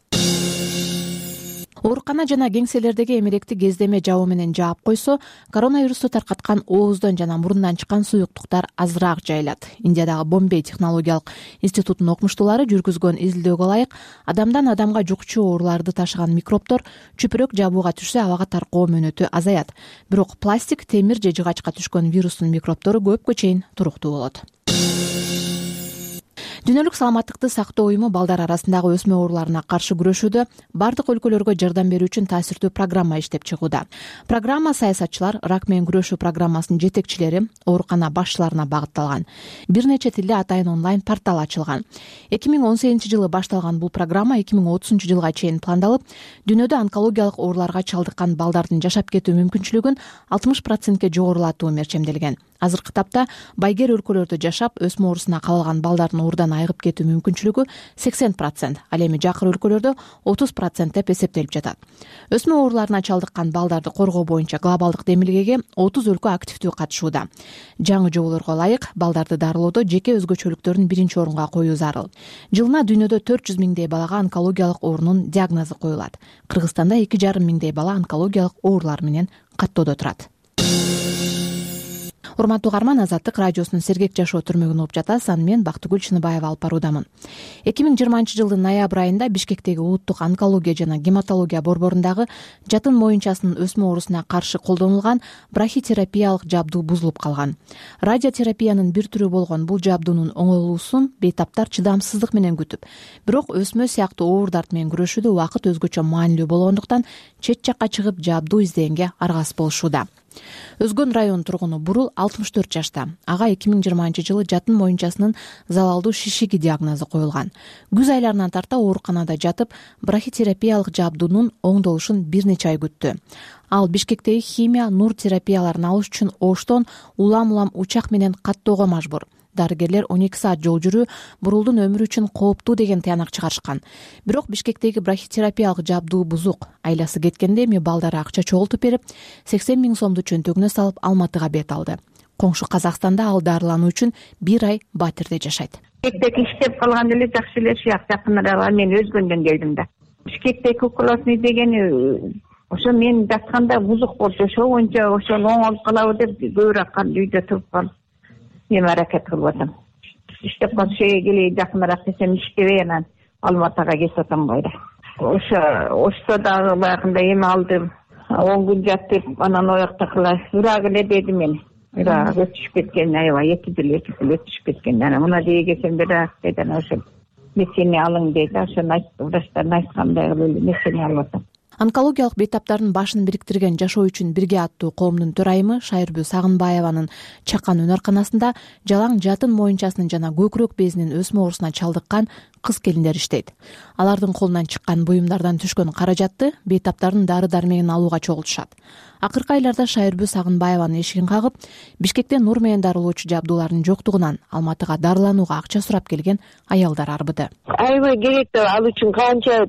оорукана жана кеңселердеги эмеректи кездеме жабуу менен жаап койсо, коронавирусту таркаткан ооздон жана мурундан чыккан суюктуктар азыраак жайылат. Индиядагы Бомбей технологиялык институтунун окумуштуулары жүргүзгөн изилдөөгө ылайык адамдан адамга жукчу ооруларды ташыган микробдор чүпүрөк жабууга түшсө абага таркоо мөөнөтү азаят. Бирок пластик, темир же жыгачка түшкөн вирустун микробдору көпкө чейин туруктуу болот. Дүйнөлүк саламаттыкты сактоо уюму балдар арасындагы өсмө ооруларына каршы күрөшүүдө бардык өлкөлөргө жардам берүү үчүн таасирдүү программа иштеп чыгууда. Программа саясатчылар, рак менен күрөшүү программасынын жетекчилери, оорукана башчыларына багытталган. Бир нече тилде атайын онлайн портал ачылган. эки миң он сегизинчи жылы башталган бул программа эки миң отузунчу жылга чейин пландалып, дүйнөдө онкологиялык ооруларга чалдыккан балдардын жашап кетүү мүмкүнчүлүгүн алтымыш процентке жогорулатуу мерчемделген. Азыркы тапта байгер өлкөлөрдө жашап, өсмө оорусуна кабылган балдардын оорудан айыгып кетүү мүмкүнчүлүгү сексен процент, ал эми жакыр өлкөлөрдө отуз процент деп эсептелип жатат. Өсмө ооруларына чалдыккан балдарды коргоо боюнча глобалдык демилгеге отуз өлкө активдүү катышууда. Жаңы жоболорго ылайык балдарды дарылоодо жеке өзгөчөлүктөрүн биринчи орунга коюу зарыл. Жылына дүйнөдө төрт жүз миңдей балага онкологиялык оорунун диагнозу коюлат. Кыргызстанда эки жарым миңдей бала онкологиялык оорулар менен каттоодо турат. Урматтуу угарман, Азаттык радиосунун Сергек жашоо түрмөгүн угуп жатасыз. Аны мен Бактыгүл Чыныбаева алып баруудамын. эки миң жыйырманчы жылдын ноябрь айында Бишкектеги улуттук онкология жана гематология борборундагы жатын моюнчасынын өсмө оорусуна каршы колдонулган брахитерапиялык жабдуу бузулуп калган. Радиотерапиянын бир түрү болгон бул жабдуунун оңолуусун бейтаптар чыдамсыздык менен күтүп, бирок өсмө сыяктуу оор дарт менен күрөшүүдө убакыт өзгөчө маанилүү болгондуктан чет жакка чыгып жабдуу издегенге аргасыз болушууда. Өзгөн район тургуну Бурул алтымыш төрт жашта. Ага эки миң жыйырманчы жылы жатын моюнчасынын залалдуу шишиги диагнозу коюлган. Күз айларынан тарта ооруканада жатып, брахитерапиялык жабдуунун оңдолушун бир нече ай күттү. Ал Бишкектеги химия, нур терапияларын алыш үчүн Оштон улам-улам учак менен каттоого мажбур. Дарыгерлер он эки саат жол жүрүү Бурулдун өмүрү үчүн кооптуу деген таянак чыгарышкан. Бирок Бишкектеги брахитерапиялык жабдуу бузук. Айласы кеткенде эми балдары акча чогултуп берип, сексен миң сомду чөнтөгүнө салып Алматыга бет алды. Коңшу Казакстанда ал дарылануу үчүн бир ай Батирде жашайт. Бишкектеги иштеп калган эле жакшы эле шыяк жакындарга мен өзгөндөн келдим да. Бишкектеги укулосный дегени ошо мен жатканда бузук болчу, ошо боюнча ошол оңолуп калабы деп көбүрөөк үйдө туруп калып эми аракет кылып атам. Иштеп калып шеге келейин жакыныраак десем иштебей анан Алматыга кетип атам кайра. Ошо ошто дагы баягында эми алдым. он күн жатып, анан ояктакыла урак эле деди мен. Урак өтүшүп кеткен, аябай эки жыл эки жыл өтүшүп кеткен. Анан мына жеге келсем бирок деди, анан ошо месени алың деди. Ошону айтты, врачтардын айткандай кылып эле месени алып атам. Онкологиялык бейтаптардын башын бириктирген Жашоо үчүн бирге аттуу коомдун төрайымы Шайырбү Сагынбаеванын чакан өнөрканасында жалаң жатын моюнчасынын жана көкүрөк безинин өсмө оорусуна чалдыккан кыз келиндер иштейт. Алардын колунан чыккан буюмдардан түшкөн каражатты бейтаптардын дары-дармегин алууга чогултушат. Акыркы айларда Шайырбү Сагынбаеванын эшигин кагып, Бишкектен нур менен дарылоочу жабдуулардын жоктугунан Алматыга дарыланууга акча сурап келген аялдар арбыды. Аябай керек да, ал үчүн канча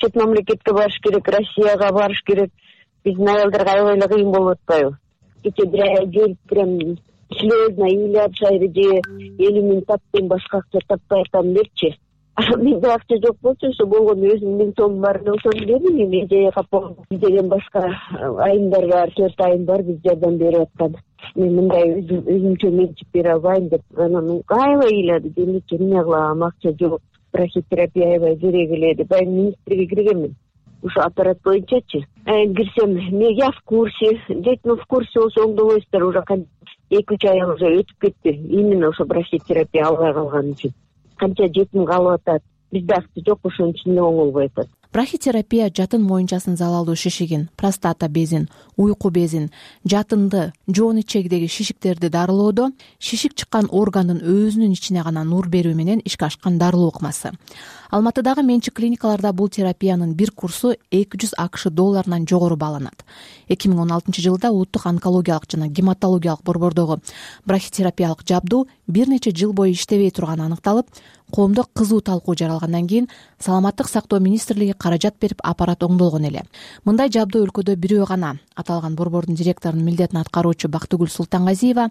чет мамлекетке барыш керек, Россияга барыш керек. Биздин аялдарга аябай эле кыйын болуп атпайбы? Кече бир ай келип прям слезно ыйлап шайры же элүү миң таптен башка акча таппай атам депчи. Менде акча жок болчу, ошо болгону өзүм миң сом бар, ошону бердим. Эми эжеге деген башка айымдар бар, төрт айым бар, биз жардам берип аткан. Мен мындай өзүмчө менчип бере албайм деп анан аябай ыйлады. Демечи эмне кылам, акча жок, брахитерапия аябай керек эле деп баягы министрге киргенмин. Ошо аппарат боюнчачы. Кирсем, мен я в курсе, дейтин в курсе болсо оңдобойсуздар, уже эки үч ай уже өтүп кетти. Именно ошо брахитерапия албай калган үчүн. Канча жетим калып атат. Бизде акча жок, ошонун үчүн оңолбой атат. Брахитерапия жатын моюнчасынын залалдуу шишигин, простата безин, уйку безин, жатынды, жоон ичегидеги шишиктерди дарылоодо шишик чыккан органдын өзүнүн ичине гана нур берүү менен ишке ашкан дарылоо ыкмасы. Алматыдагы менчик клиникаларда бул терапиянын бир курсу эки жүз акш долларынан жогору бааланат. эки миң он алтынчы жылда улуттук онкологиялык жана гематологиялык борбордогу брахитерапиялык жабдуу бир нече жыл бою иштебей турганы аныкталып, коомдо кызуу талкуу жаралгандан кийин Саламаттык сактоо министрлиги каражат берип аппарат оңдолгон эле. Мындай жабдуу өлкөдө бирөө гана. Аталган борбордун директорунун милдетин аткаруучу Бактыгүл Султангазиева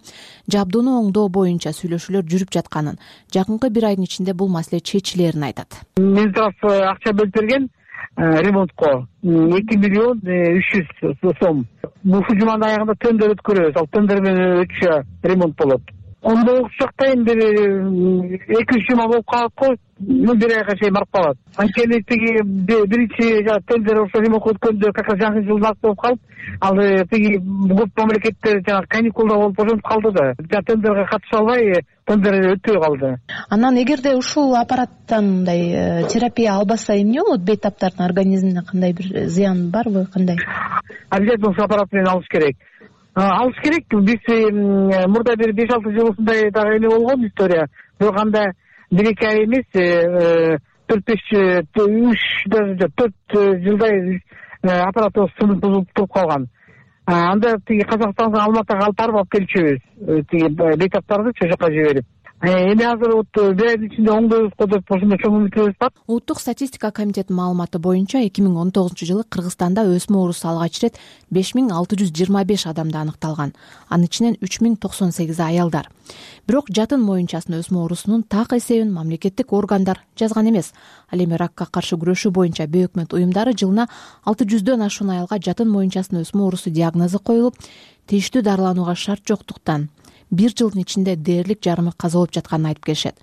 жабдууну оңдоо боюнча сүйлөшүүлөр жүрүп жатканын, жакынкы бир айдын ичинде бул маселе чечилерин айтат. Минздрав акча бөлүп берген, ремонтко эки миллион үч жүз сом. Ушул жуманын аягында тендер өткөрөбүз. Ал тендер менен өтүшө ремонт болот. Ондо жактайын бир эки үч жума болуп калат го, бир айга чейин барып калат. Анткени тиги биринчи тендер ошо ремонтко өткөндө как раз жаңы жылдын акты болуп калып, ал тиги көп мамлекеттер жанагы каникулда болуп ошентип калды да. Тендерге катыша албай, тендер өтпөй калды. Анан эгерде ушул аппараттан мындай терапия албаса эмне болот? Бейтаптардын организмине кандай бир зыян барбы, кандай? Обязательно ушул аппарат менен алыш керек. Алыш керек. Биз мурда бир беш алты жыл ушундай дагы эме болгон история. Бирок анда бир эки ай эмес, төрт беш үч төрт жылдай аппаратыбыз сынып бузулуп туруп калган. Анда тиги Казакстанга, Алматыга алып барып алып келчүбүз. Тиги бейтаптарды чо жака жиберип. Эми азыр вот бир айдын ичинде оңдойбузго деп ошондой чоң үмүтүбүз бар. Улуттук статистика комитетинин маалыматы боюнча эки миң он тогузунчу жылы Кыргызстанда өсмө оорусу алгач ирет беш миң алты жүз жыйырма беш адамда аныкталган. Анын ичинен үч миң токсон сегизи аялдар. Бирок жатын моюнчасын өсмө оорусунун так эсебин мамлекеттик органдар жазган эмес. Ал эми ракка каршы күрөшүү боюнча бейөкмөт уюмдары жылына алты жүздөн ашуун аялга жатын моюнчасын өсмө оорусу диагнозу коюлуп, тийиштүү дарыланууга шарт жоктуктан бир жылдын ичинде дээрлик жарымы каза болуп жатканын айтып келишет.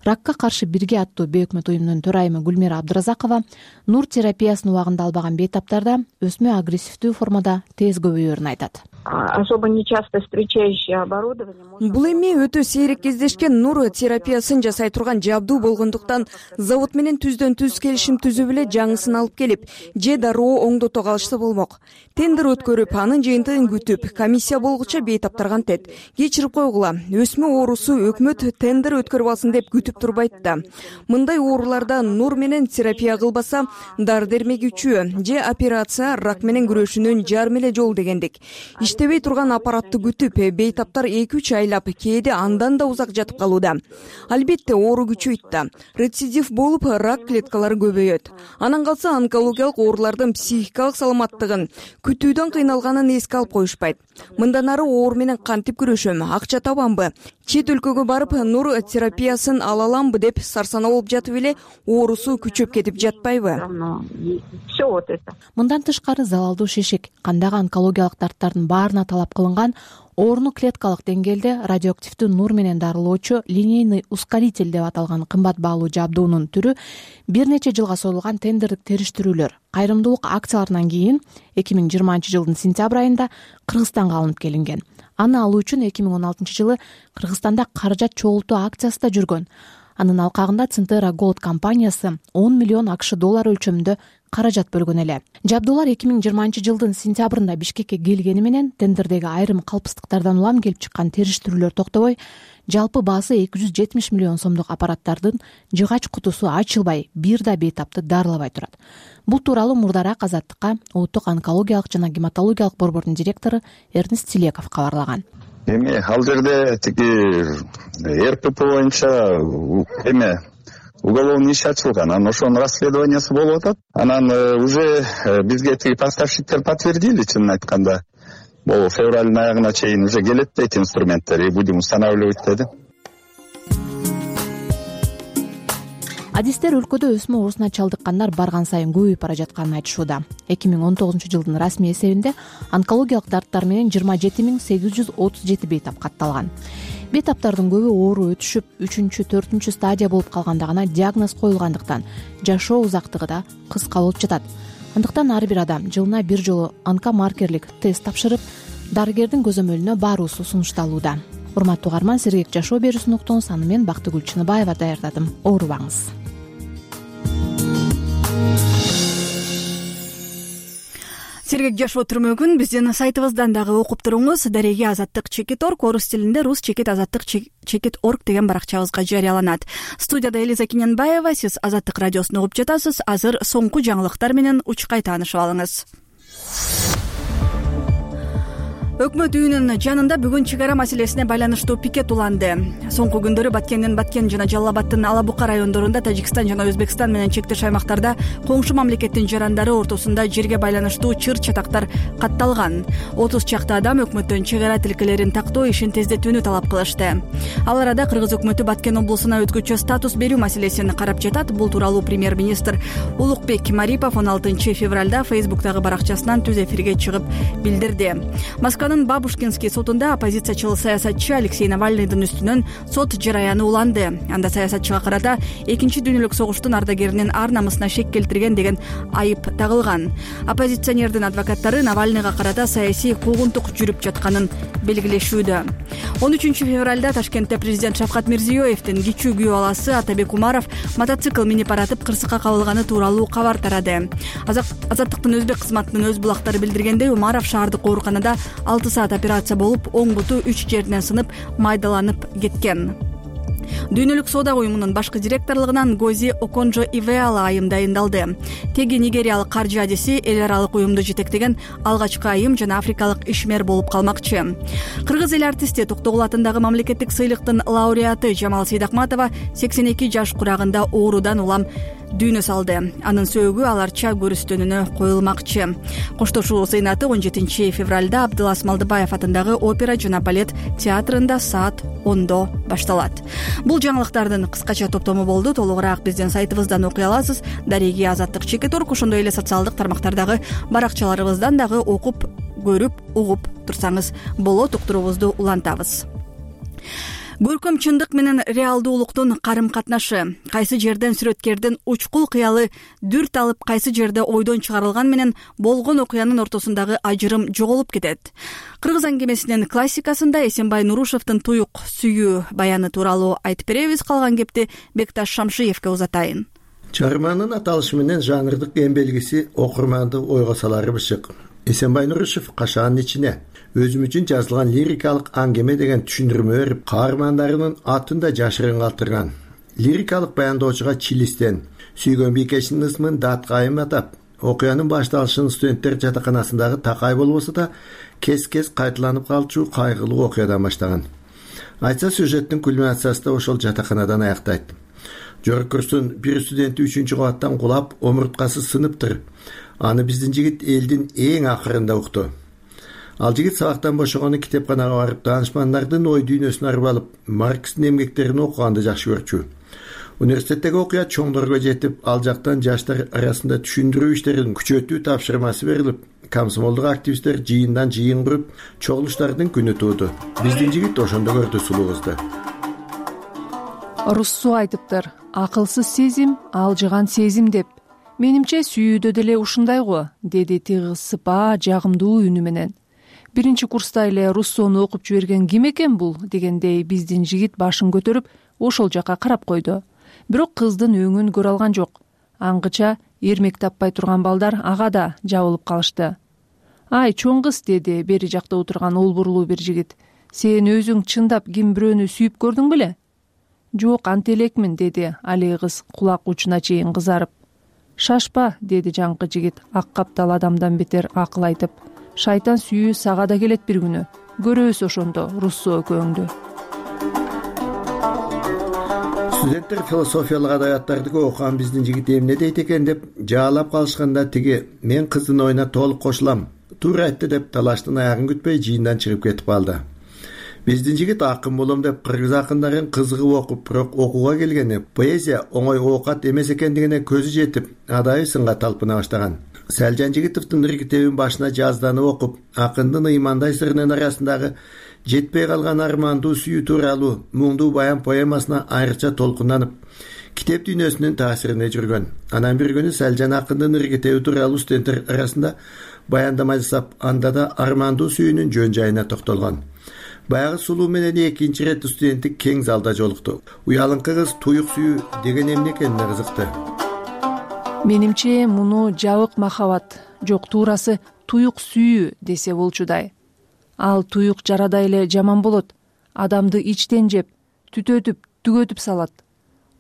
Ракка каршы бирге аттуу бейөкмөт уюмунун төрайымы Гүлмира Абдыразакова нур терапиясын убагында албаган бейтаптарда өсмө агрессивдүү формада тез көбөйөрүн айтат. Особо нечасто встречающее оборудование. Бул эми өтө сейрек кездешкен нур терапиясын жасай турган жабдуу болгондуктан завод менен түздөн түз келишим түзүп эле жаңысын алып келип, же дароо оңдото калышса болмок. Тендер өткөрүп, анын жыйынтыгын күтүп, комиссия болгуча бейтаптар кантет. Кечирип койгула, өсмө оорусу өкмөт тендер өткөрүп алсын деп күтүп турбайт да. Мындай ооруларда нур менен терапия кылбаса, дары дермегүүчү же операция рак менен күрөшүүнүн жарым эле жолу дегендик. Иштебей турган аппаратты күтүп, бейтаптар эки үч айлап, кээде андан да узак жатып калууда. Албетте оору күчөйт да. Рецидив болуп, рак клеткалары көбөйөт. Анан калса онкологиялык оорулардын психикалык саламаттыгын, күтүүдөн кыйналганын эске алып коюшпайт. Мындан ары оору менен кантип күрөшөм, акча табамбы, чет өлкөгө барып нур терапиясын ала аламбы деп сарсанаа болуп жатып эле оорусу күчөп кетип жатпайбы? Мындан тышкары залалдуу шишик, кандагы онкологиялык дарттардын баарына талап кылынган ооруну клеткалык деңгээлде радиоактивдүү нур менен дарылоочу линейный ускоритель деп аталган кымбат баалуу жабдуунун түрү бир нече жылга созулган тендердик териштирүүлөр, кайрымдуулук акцияларынан кийин эки миң жыйырманчы жылдын сентябрь айында Кыргызстанга алынып келинген. Аны алуу үчүн эки миң он алтынчы жылы Кыргызстанда каражат чогултуу акциясы да жүргөн. Анын алкагында Центера Gold компаниясы он миллион акш доллар өлчөмүндө каражат бөлгөн эле. Жабдуулар эки миң жыйырманчы жылдын сентябрында Бишкекке келгени менен тендердеги айрым калпсыздыктардан улам келип чыккан териштирүүлөр токтобой, жалпы баасы эки жүз жетимиш миллион сомдук аппараттардын жыгач кутусу ачылбай, бир да бейтапты дарылабай турат. Бул тууралуу мурдараак Азаттыкка улуттук онкологиялык жана гематологиялык борбордун директору Эрнест Тилеков кабарлаган. Эми ал жерде тиги РПП боюнча эме уголовный иш ачылган, анан ошонун расследованиясы болуп атат. Анан уже бизге тиги поставщиктер подтвердили, чынын айтканда. Бул февралдын аягына чейин уже келет дейт инструменттер, и будем устанавливать деди. Адистер өлкөдө өсмө оорусуна чалдыккандар барган сайын көбөйүп бара жатканын айтышууда. эки миң он тогузунчу жылдын расмий эсебинде онкологиялык дарттар менен жыйырма жети миң сегиз жүз отуз жети бейтап катталган. Бейтаптардын көбү оору өтүшүп, үчүнчү, төртүнчү стадия болуп калганда гана диагноз коюлгандыктан жашоо узактыгы да кыска болуп жатат. Андыктан ар бир адам жылына бир жолу онкомаркерлик тест тапшырып, дарыгердин көзөмөлүнө баруусу сунушталууда. Урматтуу угарман, сергек жашоо берүүсүн уктуңуз. Аны мен Бактыгүл Чыныбаева даярдадым. Оорубаңыз. Сергек жашоо түрмөгүн биздин сайтыбыздан дагы окуп туруңуз. Дареги азаттык чекит орг орус тилинде рус чекит азаттык чекит орг деген баракчабызга жарыяланат. Студияда Элиза Киненбаева, сиз Азаттык радиосун угуп жатасыз. Азыр соңку жаңылыктар менен учкай таанышып алыңыз. Өкмөт үйүнүн жанында бүгүн чек ара маселесине байланыштуу пикет уланды. Соңку күндөрү Баткендин Баткен жана Жалал Абадтын Ала Бука райондорунда Тажикстан жана Өзбекстан менен чектеш аймактарда коңшу мамлекеттин жарандары ортосунда жерге байланыштуу чыр чатактар катталган. отуз чакты адам өкмөттөн чек ара тилкелерин тактоо ишин тездетүүнү талап кылышты. Ал арада Кыргыз өкмөтү Баткен облусуна өзгөчө статус берүү маселесин карап жатат. Бул тууралуу премьер-министр Улукбек Марипов он алтынчы февралда Фейсбуктагы баракчасынан түз эфирге чыгып билдирди. Москванын Бабушкинский сотунда оппозициячыл саясатчы Алексей Навальныйдын үстүнөн сот жараяны уланды. Анда саясатчыга карата экинчи дүйнөлүк согуштун ардагеринин ар намысына шек келтирген деген айып тагылган. Оппозиционердин адвокаттары Навальныйга карата саясий куугунтук жүрүп жатканын белгилешүүдө. он үчүнчү февралда Ташкентте президент Шавкат Мирзиёевдин кичүү күйөө баласы Атабек Умаров мотоцикл минип баратып кырсыкка кабылганы тууралуу кабар тарады. Азаттыктын өзбек кызматынын өз булактары билдиргендей, Умаров шаардык ооруканада алты саат операция болуп, оң буту үч жеринен сынып, майдаланып кеткен. Дүйнөлүк соода уюмунун башкы директорлугунан Гози Оконжо Ивеала айым дайындалды. Теги нигериялык каржы адиси эл аралык уюмду жетектеген алгачкы айым жана африкалык ишмер болуп калмакчы. Кыргыз эл артисти Токтогул атындагы мамлекеттик сыйлыктын лауреаты Жамал Сейдакматова сексен эки жаш курагында оорудан улам дүйнө салды. Анын сөөгү аларча көрүстөнүнө коюлмакчы. Коштошуу сыйнаты он жетинчи февралда Абдылас Малдыбаев атындагы опера жана балет театрында саат ондо башталат. Бул жаңылыктардын кыскача топтому болду. Толугураак биздин сайтыбыздан окуй аласыз. Дареги Азаттык Чекет Орг, ошондой эле социалдык тармактардагы баракчаларыбыздан дагы окуп, көрүп, угуп турсаңыз болот. Уктуруубузду улантабыз. Көркөм чындык менен реалдуулуктун карым катнашы. Кайсы жерден сүрөткердин учкул кыялы дүрт алып, кайсы жерде ойдон чыгарылган менен болгон окуянын ортосундагы ажырым жоголуп кетет. Кыргыз аңгемесинин классикасында Эсенбай Нурушевдин туюк сүйүү баяны тууралуу айтып беребиз. Калган кепти Бекташ Шамшиевке узатайын. Чыгарманын аталышы менен жанрдык эң белгиси окурманды ойго салары бышык. Эсенбай Нурушев кашаанын ичине өзүм үчүн жазылган лирикалык аңгеме деген түшүндүрмө берип, каармандарынын атын да жашырын калтырган. Лирикалык баяндоочуга чилистен, сүйгөн бийкешинин ысмын даткайым атап, окуянын башталышын студенттер жатаканасындагы такай болбосо да кес-кес кайталанып калчу кайгылуу окуядан баштаган. Айтса, сюжеттин кульминациясы да ошол жатаканадан аяктайт. Жогорку курстун бир студенти үчүнчү кабаттан кулап, омурткасы сыныптыр. Аны биздин жигит элдин эң акырында укту. Ал жигит сабактан бошогону китепканага барып, таанышмандардын ой дүйнөсүн арып алып, Маркстин эмгектерин окуганды жакшы көрчү. Университеттеги окуя чоңдорго жетип, ал жактан жаштар арасында түшүндүрүү иштерин күчөтүү тапшырмасы берилип, комсомолдук активисттер жыйындан жыйын куруп, чогулуштардын күнү тууду. Биздин жигит ошондо көрдү сулуу кызды. Руссо айтыптыр: акылсыз сезим алжыган сезим деп. Менимче сүйүүдө деле ушундай го, деди тыгыз сыпаа жагымдуу үнү менен. Биринчи курста эле Руссону окуп жиберген ким экен бул дегендей биздин жигит башын көтөрүп ошол жака карап койду. Бирок кыздын өңүн көрө алган жок. Аңгыча эрмек таппай турган балдар ага да жабылып калышты. Ай чоң кыз, деди бери жакта отурган олбурлуу бир жигит. Сен өзүң чындап ким бирөөнү сүйүп көрдүң беле? Жок, ант элекмин, деди алий кыз кулак учуна чейин кызарып. Шашпа, деди жаңкы жигит ак каптал адамдан бетер акыл айтып. Шайтан сүйүү сага да келет бир күнү. Көрөбүз ошондо Руссо экөөңдү. Студенттер философиялык адабияттарды окуган биздин жигит эмне дейт экен деп жаалап калышканда тиги мен кыздын оюна толук кошулам, туура айтты деп талаштын аягын күтпөй жыйындан чыгып кетип калды. Биздин жигит акын болом деп кыргыз акындарын кызыгып окуп, бирок окууга келгенде поэзия оңой оокат эмес экендигине көзү жетип, адайы сынга талпына баштаган. Сэлжан Жигитовдун иркитебин башына жазданып окуп, акындын ыймандай сырынын арасындагы жетпей калган армандуу сүйүү тууралуу муңдуу баян поэмасына айрыкча толкунданып, китеп дүйнөсүнүн таасирине жүргөн. Анан бир күнү Сэлжан акындын иркитеби тууралуу студенттер арасында баяндама жасап, анда да армандуу сүйүүнүн жөн жайына токтолгон. Баягы сулуу менен экинчи рет студенттик кең залда жолукту. Уялыңкы кыз туюк сүйүү деген эмне экенине кызыкты. Менимче муну жабык махабат, жок туурасы туюк сүйүү десе болчудай. Ал туюк жарада эле жаман болот. Адамды ичтен жеп, түтөтүп, түгөтүп салат.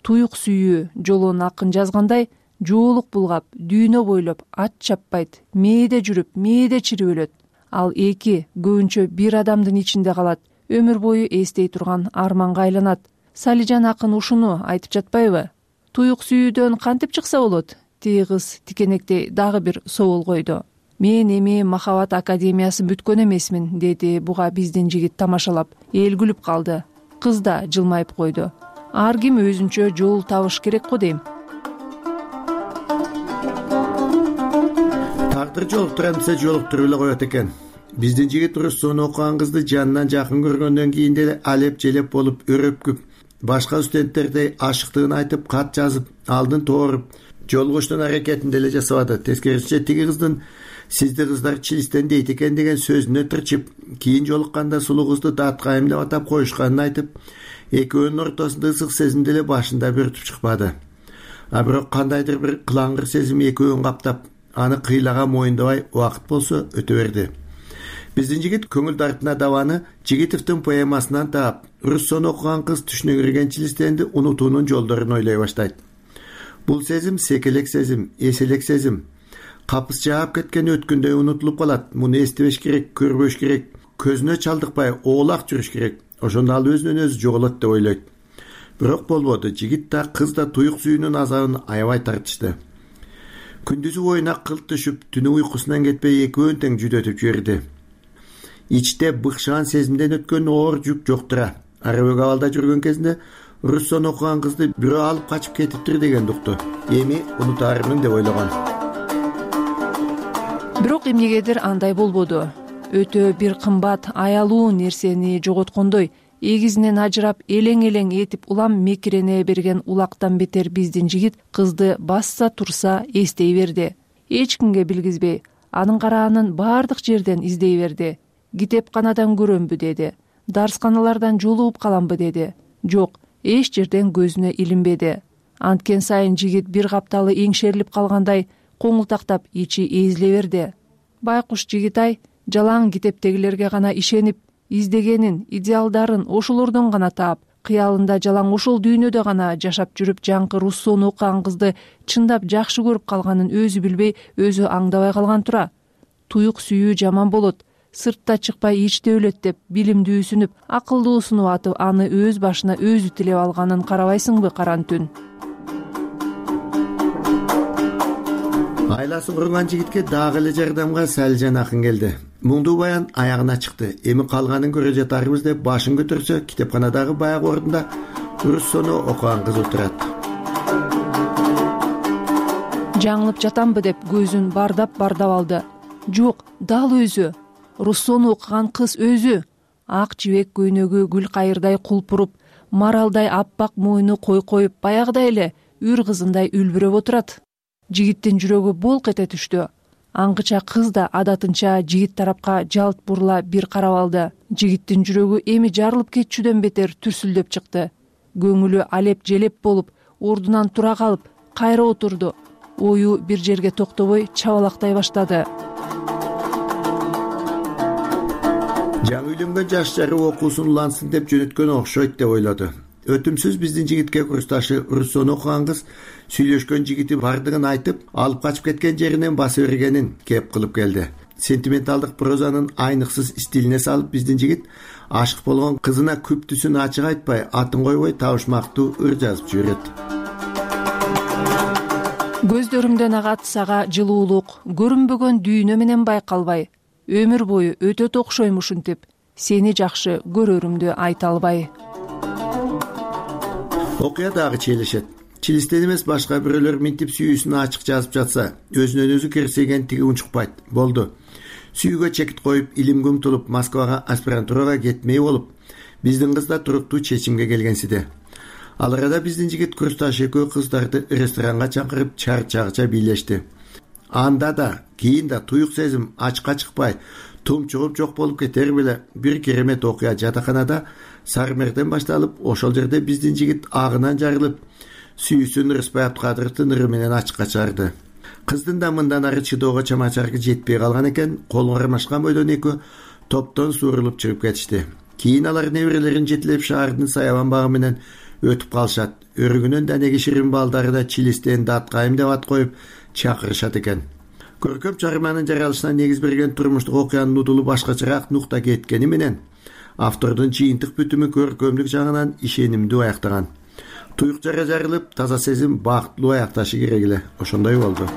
Туюк сүйүү жолон акын жазгандай жоолук булгап, дүйнө бойлоп ат чаппайт, мээде жүрүп, мээде чирип өлөт. ал эки, көбүнчө бир адамдын ичинде калат, өмүр бою эстей турган арманга айланат. Салижан акын ушуну айтып жатпайбы? Туюк сүйүүдөн кантип чыкса болот? Тиги кыз тикенектей дагы бир соол койду. Мен эми Махабат академиясын бүткөн эмесмин, деди буга биздин жигит тамашалап. Эл күлүп калды. Кыз да жылмайып койду. Ар ким өзүнчө жол табыш керек го дейм. Тагдыр жолуктурам десе жолуктуруп эле коет экен. Биздин жигит руссону окуган кызды жанынан жакын көргөндөн кийин деле алеп желеп болуп өрөпкүп, башка студенттердей ашыктыгын айтып, кат жазып, алдын тооруп, жолугуштун аракетин деле жасабады. Тескерисинче тиги кыздын сизди кыздар чилистен дейт экен деген сөзүнө тырчып, кийин жолукканда сулуу кызды даткайым деп атап коюшканын айтып, экөөнүн ортосунда ысык сезим деле башында бөртүп чыкпады. А бирок кандайдыр бир кылаңгыр сезим экөөнүн каптап, аны кыйлаган моюндабай убакыт болсо өтө берди. Биздин жигит көңүл дартына дабаны Жигитовдун поэмасынан таап, руссону окуган кыз түшүнө кирген чилистенди унутуунун жолдорун ойлой баштайт. Бул сезим секелек сезим, эселек сезим. Капыс жаап кеткен өткөндөй унутулуп калат. Муну эстебеш керек, көрбөш керек, көзүнө чалдыкпай оолак жүрүш керек. Ошондо ал өзүнөн өзү жоголот деп ойлойт. Бирок болбоду. Жигит да кыз да туюк сүйүүнүн азабын аябай тартышты. Күндүзү оюна кылт түшүп, түнү уйкусунан кетпей экөөнү тең жүдөтүп жиберди. Ичте быкшаан сезимден өткөн оор жүк жоктура. Арабек абалда жүргөн кезинде руссону окуган кызды бирөө алып качып кетиптир деген укту. Эми унутаармын деп ойлогон. Бирок эмнегедир андай болбоду. Өтө бир кымбат, аялуу нерсени жоготкондой, эгизинен ажырап, элең-элең этип улам мекирене берген улактан бетер биздин жигит кызды басса турса эстей берди. Эч кимге билгизбей, анын караанын бардык жерден издей берди. Китепканадан көрөмбү деди. Дарсканалардан жолугуп каламбы деди. Жок, эч жерден көзүнө илинбеди. Анткен сайын жигит бир капталы эңшерилип калгандай коңултактап ичи эзиле берди. Байкуш жигит-ай, жалаң китептегилерге гана ишенип, издегенин, идеалдарын ошолордон гана таап, кыялында жалаң ошол дүйнөдө гана жашап жүрүп, жаңкы руссону окуган кызды чындап жакшы көрүп калганын өзү билбей, өзү аңдабай калган тура. Туюк сүйүү жаман болот. Сыртта чыкпай ичте өлөт деп билимдүүсүнүп, акылдуусунуп атып, аны өз башына өзү тилеп алганын карабайсыңбы каран түн? Айласы курган жигитке дагы эле жардамга Салижан акын келди. Муңдуу баян аягына чыкты. Эми калганын көрө жатарбыз деп башын көтөрсө, китепканадагы баягы ордунда руссону окуган кыз отурат. Жаңылып жатамбы деп көзүн бардап-бардап алды. Жок, дал өзү. Руссону окуган кыз өзү. Ак жибек көйнөгү гүл кайырдай кулпуруп, маралдай аппак мойну кой-коюп, баягыдай эле үр кызындай үлбүрөп отурат. Жигиттин жүрөгү болк эте түштү. Аңгыча кыз да адатынча жигит тарапка жалт бурула бир карап алды. Жигиттин жүрөгү эми жарылып кетчүдөн бетер түрсүлдөп чыкты. Көңүлү алеп желеп болуп, ордунан тура калып, кайра отурду. Ою бир жерге токтобой чабалактай баштады. Жаңы үйлөнгөн жаш жары окуусун улансын деп жөнөткөн окшойт деп ойлоду. Өтүмсүз биздин жигитке курсташы руссону окуган кыз сүйлөшкөн жигити бардыгын айтып, алып качып кеткен жеринен баса бергенин кеп кылып келди. Сентименталдык прозанын айныксыз стилине салып биздин жигит ашык болгон кызына күптүсүн ачык айтпай, атын койбой табышмактуу ыр жазып жиберет. Көздөрүмдөн агат сага жылуулук, көрүнбөгөн дүйнө менен байкалбай, өмүр бою өтө окшойм ушинтип, сени жакшы көрөрүмдү айта албай. Окуя дагы чийлешет. Чилистен эмес башка бирөөлөр минтип сүйүүсүн ачык жазып жатса, өзүнөн өзү керсейген тиги унчукпайт. Болду. Сүйүүгө чекит коюп, илимге умтулуп, Москвага аспирантурага кетмей болуп, биздин кыз да туруктуу чечимге келгенсиде. Ал арада биздин жигит курсташ экөө кыздарды ресторанга чакырып, чарчагыча бийлешти. Анда да, кийин да туюк сезим ачка чыкпай, тумчугуп жок болуп кетер беле бир керемет окуя жатаканада Сармерден башталып, ошол жерде биздин жигит агынан жарылып, сүйүүсүн Рыспай Абдыкадыровдун ыры менен ачыкка чыгарды. Кыздын да мындан ары чыдоого чамачаркы жетпей калган экен, колун кармашкан бойдон экөө топтон суурулуп чыгып кетишти. Кийин алар неберелерин жетелеп шаардын саябан багы менен өтүп калышат. Өрүгүнөн данеги ширин балдары да чилистен даткайым деп ат коюп чакырышат экен. көркөм чыгарманын жаралышына негиз берген турмуштук окуянын нудулу башкачараак нукта кеткени менен автордун жыйынтык бүтүмү көркөмдүк жагынан ишенимдүү аяктаган. Туюк жара жарылып, таза сезим бактылуу аякташы керек эле. Ошондой болду.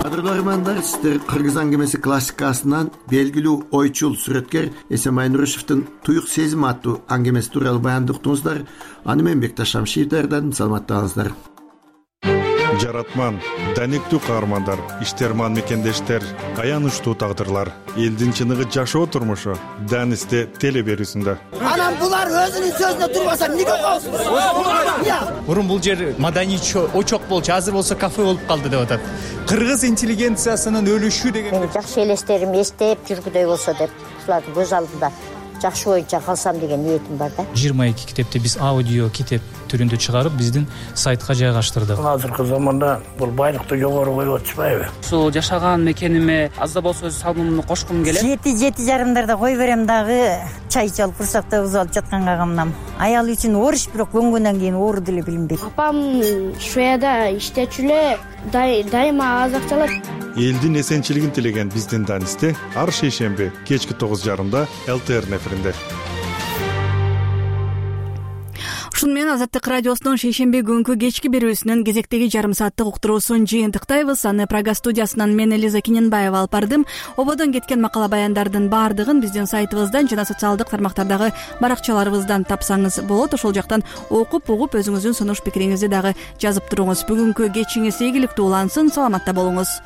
Кадрлармандар, сиздер Кыргыз аңгемеси классикасынан белгилүү ойчул сүрөткер Эсемай Нурушевдин Туюк сезим аттуу аңгемеси тууралуу баянды уктуңуздар. Аны мен Бекташ Шамшиев даярдадым. Саламаттаңыздар. Жаратман, даниктүү каармандар, иштерман мекендештер, аянычтуу тагдырлар, элдин чыныгы жашоо турмушу Данисте теле берүүсүндө. Анан булар өзүнүн сөзүнө турбаса эмнеге коесуңар? Мурун бул жер маданий очок болчу, азыр болсо кафе болуп калды деп атат. Кыргыз интеллигенциясынын өлүшү деген. Мен жакшы элестерим эстеп жүргүдөй болсо деп, ушулардын көз алдында жакшы боюнча калсам деген ниетим бар да. жыйырма эки китепти биз аудио китеп түрүндө чыгарып, биздин сайтка жайгаштырдык. Азыркы заманда бул байлыкты жогору коюп атышпайбы? Ушул жашаган мекениме аз да болсо өз салымымды кошкум келет. Жети жети жарымдарда кой берем дагы, чай чалып курсакта узалып жатканга камнам. Аял үчүн оруч, бирок көнгөндөн кийин оору деле билинбейт. Апам Шведияда иштечү эле, дайыма аз акчалат. Элдин эсенчилигин тилеген биздин Данисте ар шейшемби кечки тогуз жарымда эл тэ эр эфиринде. Ушун менен Азаттык радиосунун шейшемби күнкү кечки берүүсүнүн кезектеги жарым сааттык уктуруусун жыйынтыктайбыз. Аны Прага студиясынан мен Элиза Киненбаева алып бардым. Ободон кеткен макала баяндардын баардыгын биздин сайтыбыздан жана социалдык тармактардагы баракчаларыбыздан тапсаңыз болот. Ошол жактан окуп, угуп, өзүңүздүн сунуш пикириңизди дагы жазып туруңуз. Бүгүнкү кечиңиз ийгиликтүү улансын. Саламатта болуңуз.